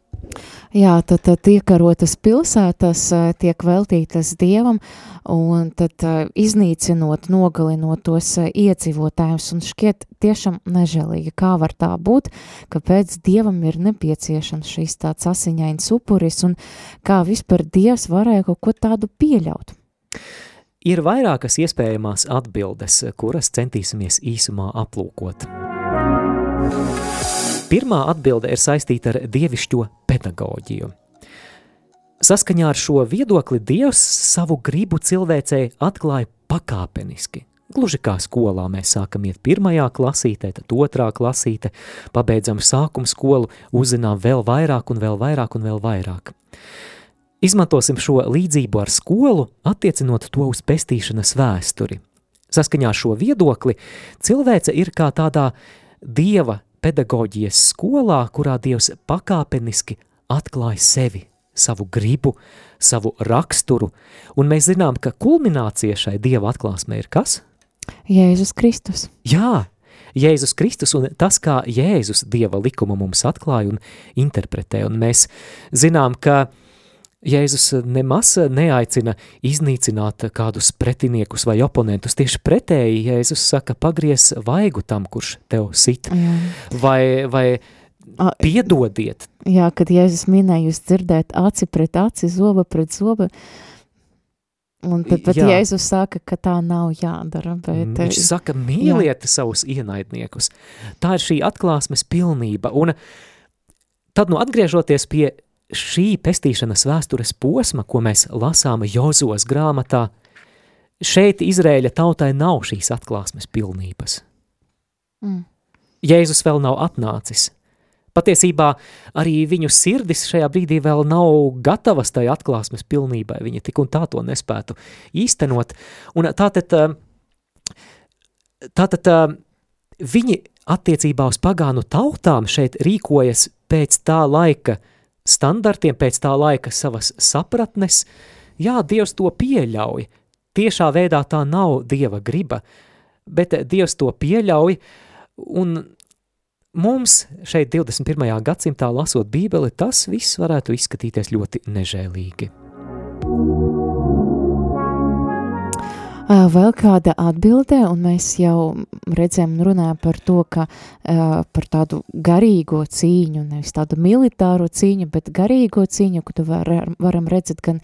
Jā, tad iekarotas pilsētas tiek veltītas Dievam, un tad iznīcinot, nogalinot tos iedzīvotājus, un šķiet tiešām nežēlīgi, kā var tā būt, kāpēc Dievam ir nepieciešams šīs tāds asiņains upuris, un kā vispār Dievs varēja kaut ko tādu pieļaut. Ir vairākas iespējamās atbildes, kuras centīsimies īsumā aplūkot. Pirmā atbilde ir saistīta ar dievišķo pedagoģiju. Saskaņā ar šo viedokli Dievs savu gribu cilvēcei atklāja pakāpeniski. Gluži kā skolā mēs sākam iet 1. klasītē, tad 2. klasīte, pabeidzam sākuma skolu, uzzinām vēl vairāk un vēl vairāk un vēl vairāk. Izmantosim šo līdzību ar skolu, attiecinot to uz pestīšanas vēsturi. Saskaņā ar šo viedokli cilvēce ir kā tādā Dieva pedagoģijas skolā, kurā Dievs pakāpeniski atklāja sevi, savu gribu, savu raksturu, un mēs zinām, ka kulminācija šai Dieva atklāsmē ir kas? Jēzus Kristus. Jā, Jēzus Kristus un tas, kā Jēzus Dieva likumu mums atklāja un interpretē, un mēs zinām, ka Jēzus nemaz neaicina iznīcināt kādus pretiniekus vai oponentus. Tieši pretēji Jēzus saka, pagries vaigu tam, kurš tev sit, vai piedodiet. Jā, kad Jēzus minēja, jūs dzirdēt aci pret aci, zoba pret zoba, un tad pat Jēzus saka, ka tā nav jādara. Bet Viņš saka, mīliet savus ienaidniekus. Tā ir šī atklāsmes pilnība, un tad, atgriežoties pie šī pestīšanas vēstures posma, ko mēs lasām Jozos grāmatā, šeit Izraēļa tautai nav šīs atklāsmes pilnības. Jēzus vēl nav atnācis. Patiesībā arī viņu sirdis šajā brīdī vēl nav gatavas tai atklāsmes pilnībai. Viņi tik un tā to nespētu īstenot. Un tātad viņi attiecībā uz pagānu tautām šeit rīkojas pēc tā laika standartiem, pēc tā laika savas sapratnes. Jā, Dievs to pieļauj. Tiešā veidā tā nav Dieva griba, bet Dievs to pieļauj, un mums šeit 21. gadsimtā lasot Bībeli, tas viss varētu izskatīties ļoti nežēlīgi. Vēl kāda atbildē, un mēs jau redzējām un runājām par to, ka par tādu garīgo cīņu, nevis tādu militāro cīņu, bet garīgo cīņu, ko tu varam redzēt gan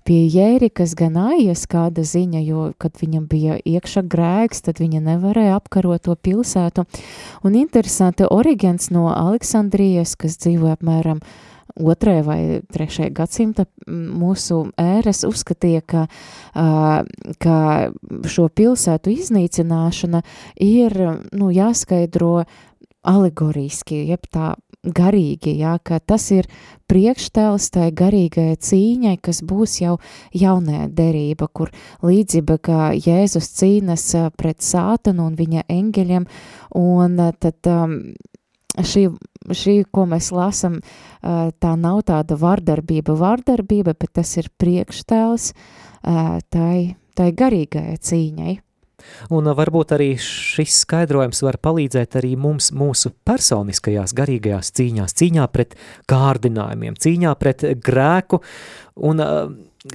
pie Jērikas, gan Aijas kāda ziņa, jo, kad viņam bija iekšā grēks, tad viņa nevarēja apkarot to pilsētu. Un interesanti, Origens no Aleksandrijas, kas dzīvoja apmēram 2. vai 3. gadsimta mūsu ēras, uzskatīja, ka šo pilsētu iznīcināšana ir jāskaidro alegoriski, jeb tā garīgi, ka tas ir priekštēls tai garīgai cīņai, kas būs jau jaunajā derība, kur līdzība, ka Jēzus cīnas pret sātanu un viņa engeļiem, un tad šī, ko mēs lasam, tā nav tāda vardarbība, bet tas ir priekštēls tai garīgai cīņai. Un varbūt arī šis skaidrojums var palīdzēt arī mums mūsu personiskajās garīgajās cīņās, cīņā pret kārdinājumiem, cīņā pret grēku, un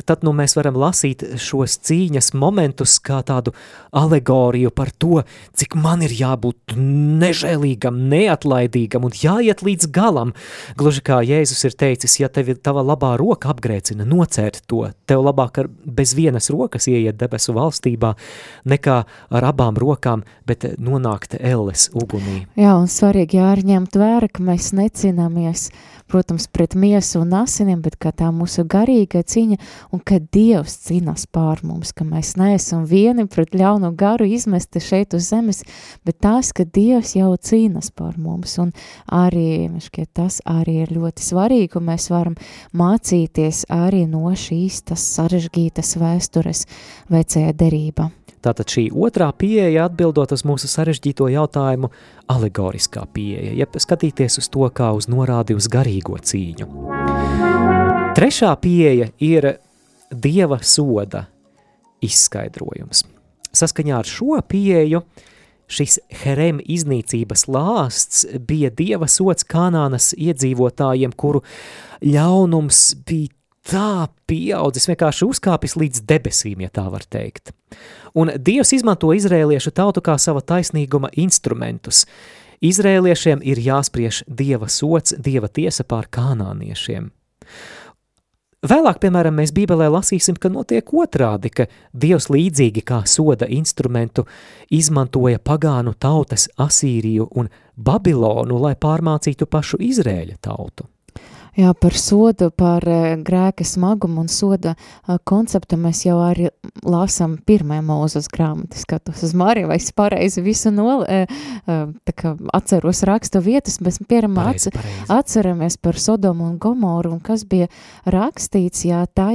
tad mēs varam lasīt šos cīņas momentus kā tādu alegoriju par to, cik man ir jābūt nežēlīgam, neatlaidīgam un jāiet līdz galam. Gluži kā Jēzus ir teicis, ja tevi tava labā roka apgrēcina, nocērt to, tev labāk ar bez vienas rokas ieiet debesu valstībā, nekā ar abām rokām, bet nonākt elles ugunī. Jā, un svarīgi jāņemt vērā, ka mēs necīnāmies, protams, pret miesu un asiniem, bet kā tā mūsu garīga cīņa, un ka Dievs cīnās pār mums, ka mēs neesam vieni pret ļaunu garu izmesti šeit uz zemes, bet tās, ka Dievs jau cīnās pār mums, un arī, tas arī ir ļoti svarīgi, un mēs varam mācīties arī no šīs tas sarežģītas vēstures vecajā derībā. Tātad šī otrā pieeja, atbildot uz mūsu sarežģīto jautājumu, alegoriskā pieeja, jeb skatīties uz to kā uz norādi uz garīgo cīņu. Trešā pieeja ir Dieva soda izskaidrojums. Saskaņā ar šo pieeju šis Herem iznīcības lāsts bija Dieva sods Kanānas iedzīvotājiem, kuru ļaunums bija tā pieaudzis, vienkārši uzkāpis līdz debesīm, ja tā var teikt. Un Dievs izmanto izrēliešu tautu kā sava taisnīguma instrumentus. Izrēliešiem ir jāspriež Dieva sods, Dieva tiesa pār kanāniešiem. Vēlāk, piemēram, mēs Bībelē lasīsim, ka notiek otrādi, ka Dievs līdzīgi kā soda instrumentu izmantoja pagānu tautas Asīriju un Babilonu, lai pārmācītu pašu Izrēļa tautu. Jā, par sodu, par grēka smagumu un soda konceptu mēs jau arī lasām pirmajā Mūzes grāmatā. Skatos uz Mariju, vai es pareizi visu atceros rakstu vietas, bet pareizi. Atceramies par Sodomu un Gomoru, un kas bija rakstīts, jā, tā,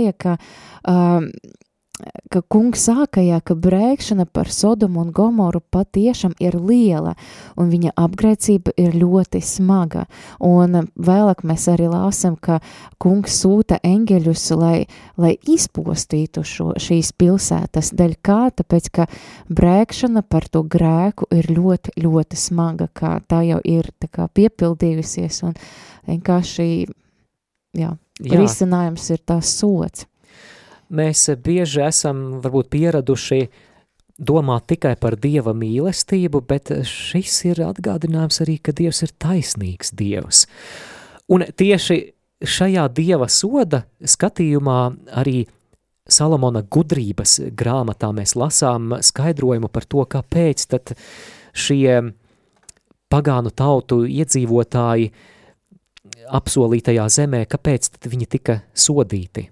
ka kungs sākajā, ka brēkšana par Sodomu un Gomoru patiešām ir liela, un viņa apgrēcība ir ļoti smaga. Un vēlāk mēs arī lāsam, ka kungs sūta eņģeļus, lai izpostītu šīs pilsētas. Dēļ kā? Tāpēc, ka brēkšana par to grēku ir ļoti, ļoti smaga, kā tā jau ir tā kā piepildījusies, un vienkārši, risinājums ir tās sots. Mēs bieži esam varbūt pieraduši domāt tikai par Dieva mīlestību, bet šis ir atgādinājums arī, ka Dievs ir taisnīgs Dievs. Un tieši šajā Dieva soda skatījumā arī Salomona gudrības grāmatā mēs lasām skaidrojumu par to, kāpēc tad šie pagānu tautu iedzīvotāji apsolītajā zemē, kāpēc tad viņi tika sodīti.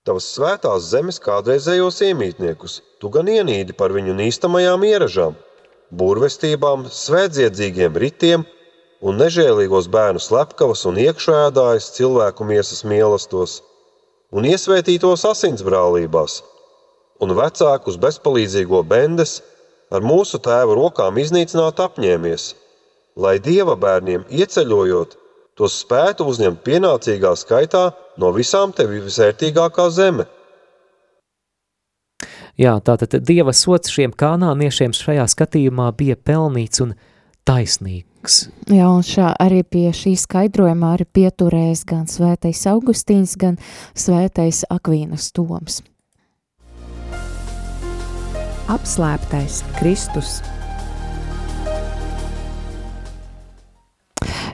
Tavas svētās zemes kādreizējos iemītniekus, tu gan ienīdi par viņu nīstamajām ieražām, burvestībām, svētdziedzīgiem ritiem un nežēlīgos bērnu slepkavas un iekšēdājas cilvēku miesas mīlestos, un iesvētītos asinsbrālībās, un vecākus bezpalīdzīgo bendes ar mūsu tēva rokām iznīcināt apņēmies, lai Dieva bērniem ieceļojot, tos spētu uzņemt pienācīgā skaitā no visām tevi visvērtīgākā zeme. Jā, tātad Dieva sods šiem kanāniešiem šajā skatījumā bija pelnīts un taisnīgs. Jā, un arī pie šī skaidrojumā arī pieturēs gan svētais Augustīns, gan svētais Akvīnas Toms. Apslēptais Kristus.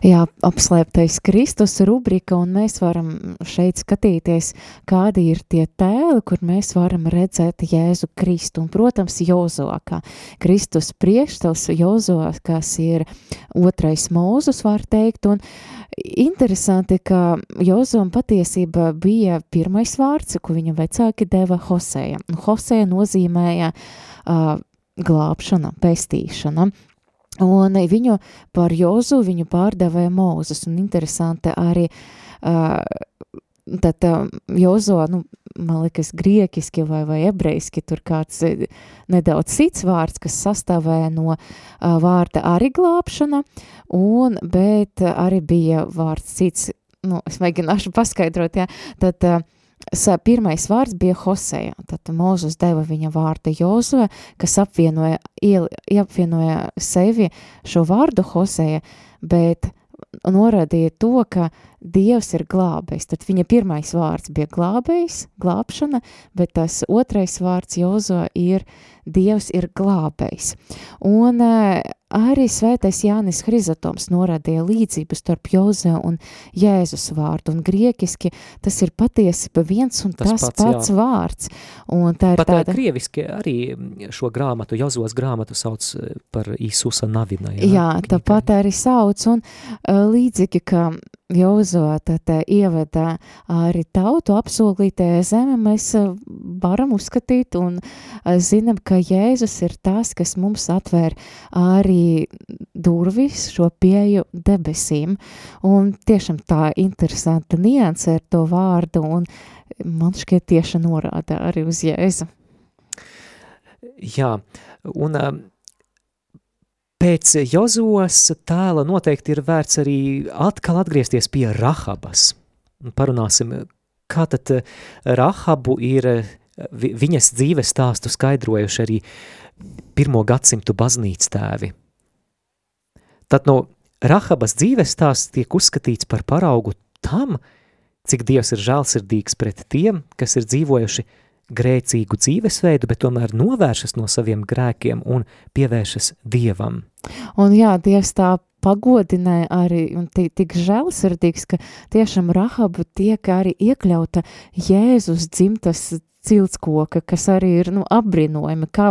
Jā, apslēptais Kristus rubrika, un mēs varam šeit skatīties, kādi ir tie tēli, kur mēs varam redzēt Jēzu Kristu. Un, protams, Jozuā, kā Kristus priekštels, Jozuā, kas ir 2. Mūzus, var teikt, un interesanti, ka Jozuam patiesība bija pirmais vārds, ko viņa vecāki deva Hoseja. Un Hoseja nozīmēja glābšana, pestīšana. Un viņu par Jozu viņu pārdevēja Mūzes, un interesanti arī tad Jozo, man liekas, griekiski vai ebrejiski, tur kāds nedaudz cits vārds, kas sastāvēja no vārda arī glābšana, bet arī bija vārds cits, es mēģināšu paskaidrot, jā, tad pirmais vārds bija Hoseja, tad Mūzes deva viņa vārdu Jozue, kas apvienoja sevi šo vārdu Hoseja, bet norādīja to, ka Dievs ir glābējs. Tad viņa pirmais vārds bija glābējs, glābšana, bet tas otrais vārds Jozue ir Dievs ir glābējs. Un arī svētais Jānis Hrizatoms norādīja līdzību starp Jozue un Jēzus vārdu, un griekiski tas ir patiesība viens un tas pats vārds. Un tā ir pat tāda... krieviski arī šo grāmatu, Jozuas grāmatu sauc par Īsusa Navina. Jā, tāpat arī sauc, un līdzīgi, ka Jozue tad ieveda arī tautu apsolītajā zeme, mēs varam uzskatīt un zinām, ka Jēzus ir tas, kas mums atvēr arī durvis šo pieeju debesīm. Un tiešām tā interesanta nianse ar to vārdu, un man šķiet tieši norāda arī uz Jēzu. Jā, un pēc Jozuas tēla noteikti ir vērts arī atkal atgriezties pie Rahabas. Parunāsim, kā tad Rahabu ir viņas dzīves stāstu skaidrojuši arī 1. gadsimtu baznīcas tēvi. Tad no Rahabas dzīves stāsts tiek uzskatīts par paraugu tam, cik Dievs ir žēlsirdīgs pret tiem, kas ir dzīvojuši grēcīgu dzīvesveidu, bet tomēr novēršas no saviem grēkiem un pievēršas Dievam. Un jā, Dievs tā pagodināja arī un tik žēlsirdīgs, ka tiešām Rahaba tiek arī iekļauta Jēzus dzimtas ciltskoka, kas arī ir, apbrīnojami, kā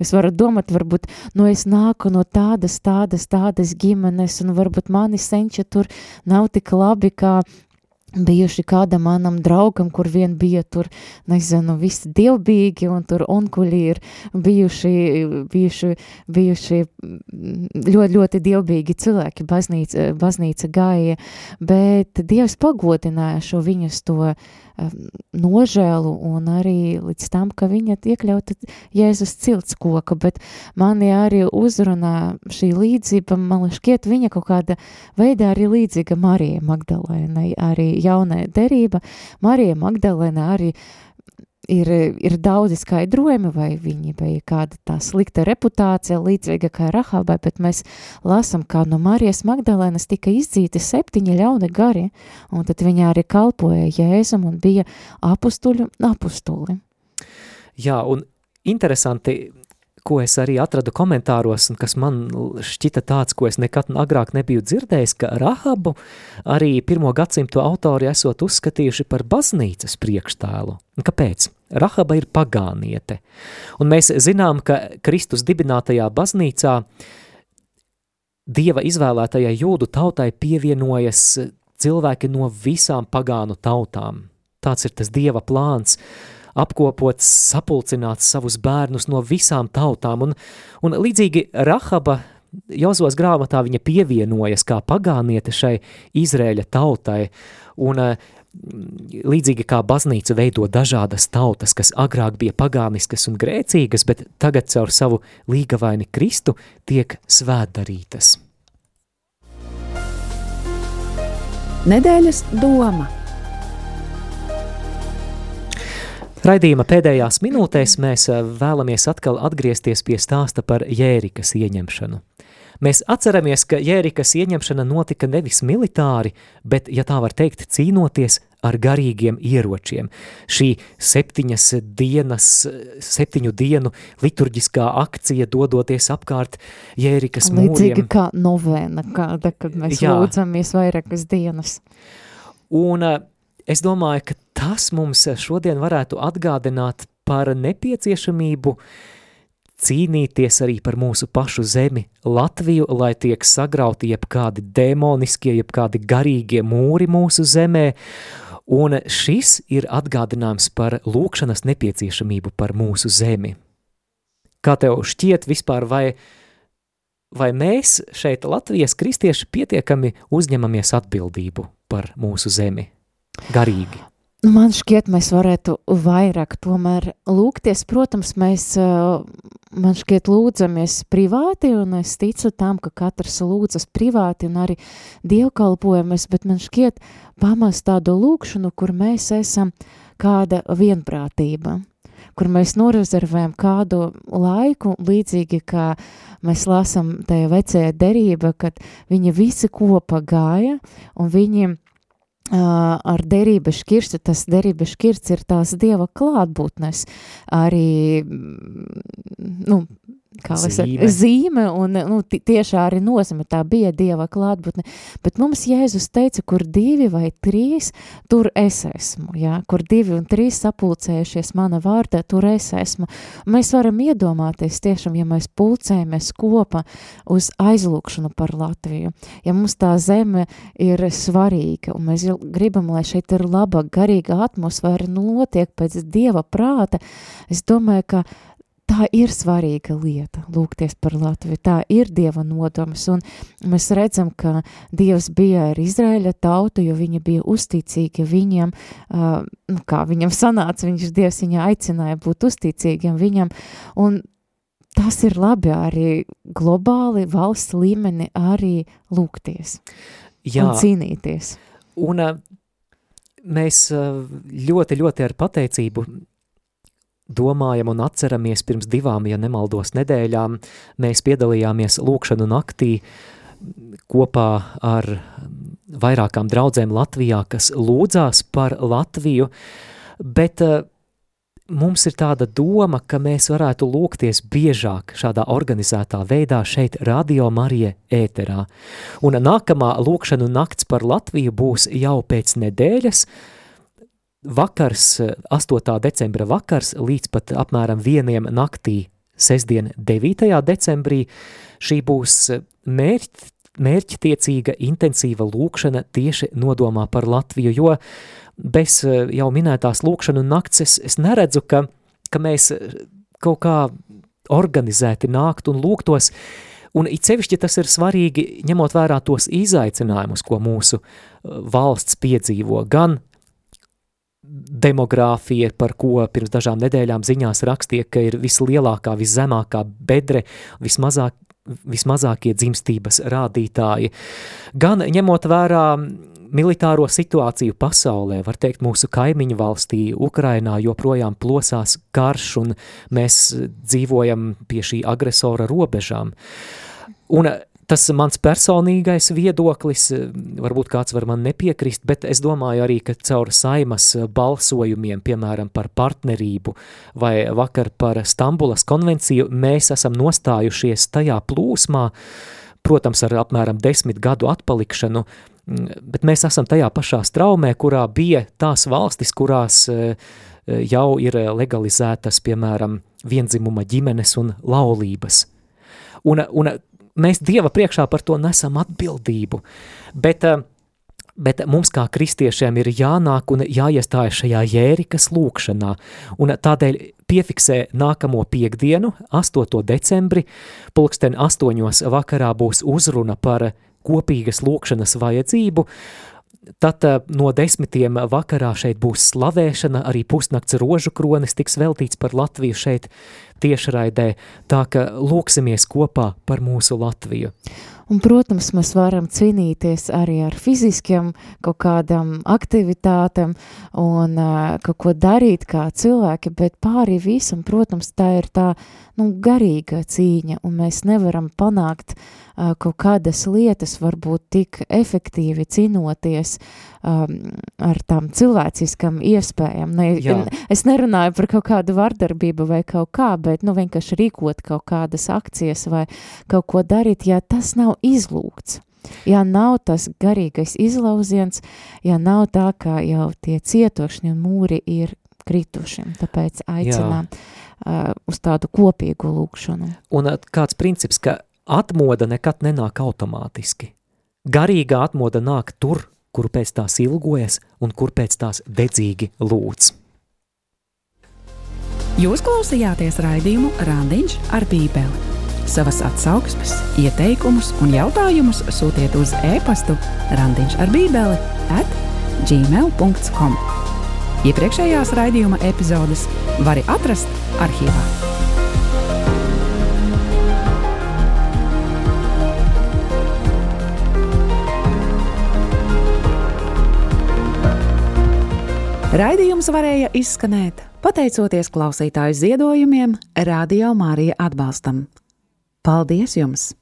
jūs varat domāt, varbūt, es nāku no tādas ģimenes, un varbūt mani senči tur nav tik labi, kā bijuši kādam manam draugam, kur vien bija tur, nezinu, visi dievbīgi, un tur onkuļi ir bijuši ļoti, ļoti dievbīgi cilvēki, baznīca gāja, bet Dievs pagodināja šo viņas to nožēlu un arī līdz tam, ka viņa iekļauta Jēzus ciltskoka, bet mani arī uzrunā šī līdzība, man šķiet, viņa kaut kāda veidā arī līdzīga Marijai Magdalēnai, arī jaunā derība. Marija Magdalēna arī ir daudzi skaidrojumi, vai viņa bija kāda tā slikta reputācija, līdzīga kā Rahabai, bet mēs lasam, kā no Marijas Magdalēnas tika izdzīti 7 ļauni gari, un tad viņa arī kalpoja Jēzum un bija apustuli. Jā, un interesanti, ko es arī atradu komentāros, un kas man šķita tāds, ko es nekad agrāk nebiju dzirdējis, ka Rahabu arī 1. gadsimtu autori esot uzskatījuši par baznīcas priekštēlu. Un kāpēc? Rahaba ir pagāniete. Un mēs zinām, ka Kristus dibinātajā baznīcā Dieva izvēlētajai jūdu tautai pievienojas cilvēki no visām pagānu tautām. Tāds ir tas Dieva plāns, apkopots, sapulcināts savus bērnus no visām tautām, un līdzīgi Rahaba Jozos grāmatā viņa pievienojas kā pagāniete šai Izrēļa tautai, un līdzīgi kā baznīca veido dažādas tautas, kas agrāk bija pagāniskas un grēcīgas, bet tagad caur savu līgavaini Kristu tiek svētdarītas. Nedēļas doma. Raidījuma pēdējās minūtēs mēs vēlamies atkal atgriezties pie stāsta par Jērikas ieņemšanu. Mēs atceramies, ka Jērikas ieņemšana notika nevis militāri, bet, ja tā var teikt, cīnoties ar garīgiem ieročiem. Šī 7 dienu liturģiskā akcija dodoties apkārt Jērikas mūriem. Līdzīgi kā novēna, kāda, kad mēs lūdzamies vairākas dienas. Un es domāju, ka tas mums šodien varētu atgādināt par nepieciešamību cīnīties arī par mūsu pašu zemi, Latviju, lai tiek sagrauti jebkādi demoniskie, jebkādi garīgie mūri mūsu zemē, un šis ir atgādinājums par lūkšanas nepieciešamību par mūsu zemi. Kā tev šķiet vispār, vai mēs šeit Latvijas kristieši pietiekami uzņemamies atbildību par mūsu zemi? Garīgi. Man šķiet, mēs varētu vairāk tomēr lūgties. Protams, mēs, man šķiet, lūdzamies privāti, un es ticu tam, ka katrs lūdzas privāti un arī dievkalpojamies, bet man šķiet pamest tādu lūkšanu, kur mēs esam kāda vienprātība, kur mēs norezervējam kādu laiku, līdzīgi kā mēs lasam tajā vecajā derība, kad viņi visi kopā gāja, un viņi ar derības šķirstu, tas derības šķirsts ir tās Dieva klātbūtnes, arī, zīme, un tieši arī nozīme, tā bija Dieva klātbūtne, bet mums Jēzus teica, kur 2 vai 3, tur es esmu, jā, kur 2 un 3 sapulcējušies mana vārdā, tur es esmu. Mēs varam iedomāties tiešām, ja mēs pulcējamies kopā uz aizlūkšanu par Latviju, ja mums tā zeme ir svarīga, un mēs gribam, lai šeit ir laba, garīga atmosfēra, notiek pēc Dieva prāta, es domāju, ka tā ir svarīga lieta, lūgties par Latviju, tā ir Dieva nodoms, un mēs redzam, ka Dievs bija ar Izraēļa tautu, jo viņi bija uzticīgi viņam, kā viņam sanāca, Dievs viņu aicināja būt uzticīgiem viņam, un tas ir labi arī globāli, valsts līmeni arī lūgties un cīnīties. Un mēs ļoti, ļoti ar pateicību domājam un atceramies pirms 2, ja nemaldos, nedēļām. Mēs piedalījāmies lūkšanu naktī kopā ar vairākām draudzēm Latvijā, kas lūdzās par Latviju, bet mums ir tāda doma, ka mēs varētu lūgties biežāk šādā organizētā veidā šeit Radio Marija ēterā. Un nākamā lūkšanu nakts par Latviju būs jau pēc nedēļas, vakars, 8. decembra vakars, līdz pat apmēram 1 naktī, sestdien 9. decembrī. Šī būs mērķtiecīga, intensīva lūkšana tieši nodomā par Latviju, jo bez jau minētās lūkšanu nakts es neredzu, ka mēs kaut kā organizēti nākt un lūgtos, un it sevišķi tas ir svarīgi, ņemot vērā tos izaicinājumus, ko mūsu valsts piedzīvo, gan demogrāfija, par ko pirms dažām nedēļām ziņās rakstīja, ka ir vislielākā, viszemākā bedre, vismazākie dzimstības rādītāji, gan ņemot vērā militāro situāciju pasaulē, var teikt, mūsu kaimiņu valstī, Ukrainā joprojām plosās karš, un mēs dzīvojam pie šī agresora robežām. Un tas mans personīgais viedoklis, varbūt kāds var man nepiekrist, bet es domāju arī, ka caur Saimas balsojumiem, piemēram, par partnerību vai vakar par Stambulas konvenciju, mēs esam nostājušies tajā plūsmā, protams, ar apmēram 10 gadu atpalikšanu, bet mēs esam tajā pašā straumē, kurā bija tās valstis, kurās jau ir legalizētas, piemēram, viendzimuma ģimenes un laulības. Un mēs Dieva priekšā par to nesam atbildību, bet mums kā kristiešiem ir jānāk un jāiestājas šajā Jērikas lūkšanā, un tādēļ piefiksē nākamo piekdienu, 8. decembri, 8:00 vakarā būs uzruna par kopīgas lūkšanas vajadzību, tad no 10. vakarā šeit būs slavēšana, arī pusnakts rožu kronis tiks veltīts par Latviju šeit tiešraidē, tā ka lūksimies kopā par mūsu Latviju. Un, protams, mēs varam cīnīties arī ar fiziskiem kaut kādām aktivitātēm un kaut ko darīt kā cilvēki, bet pāri visam, protams, tā ir tā garīga cīņa, un mēs nevaram panākt kaut kādas lietas, varbūt tik efektīvi cīnoties ar tām cilvēciskām iespējām. Es nerunāju par kaut kādu vardarbību vai kaut kā, bet vienkārši rīkot kaut kādas akcijas vai kaut ko darīt, ja tas nav izlūgts. Ja nav tas garīgais izlauziens, ja nav tā, ka jau tie cietošņi un mūri ir krituši, tāpēc aicinām uz tādu kopīgu lūkšanu. Un kāds princips, ka atmoda nekad nenāk automātiski. Garīgā atmoda nāk tur, kuru pēc tās ilgojas un kur pēc tās dedzīgi lūdz. Jūs klausījāties raidījumu Randiņš ar Bībeli. Savas atsauksmes, ieteikumus un jautājumus sūtiet uz e-pastu randiņšarbībeli@gmail.com. Iepriekšējās raidījuma epizodes vari atrast arhīvā. Raidījums varēja izskanēt pateicoties klausītāju ziedojumiem Radio Marija atbalstam. Paldies jums!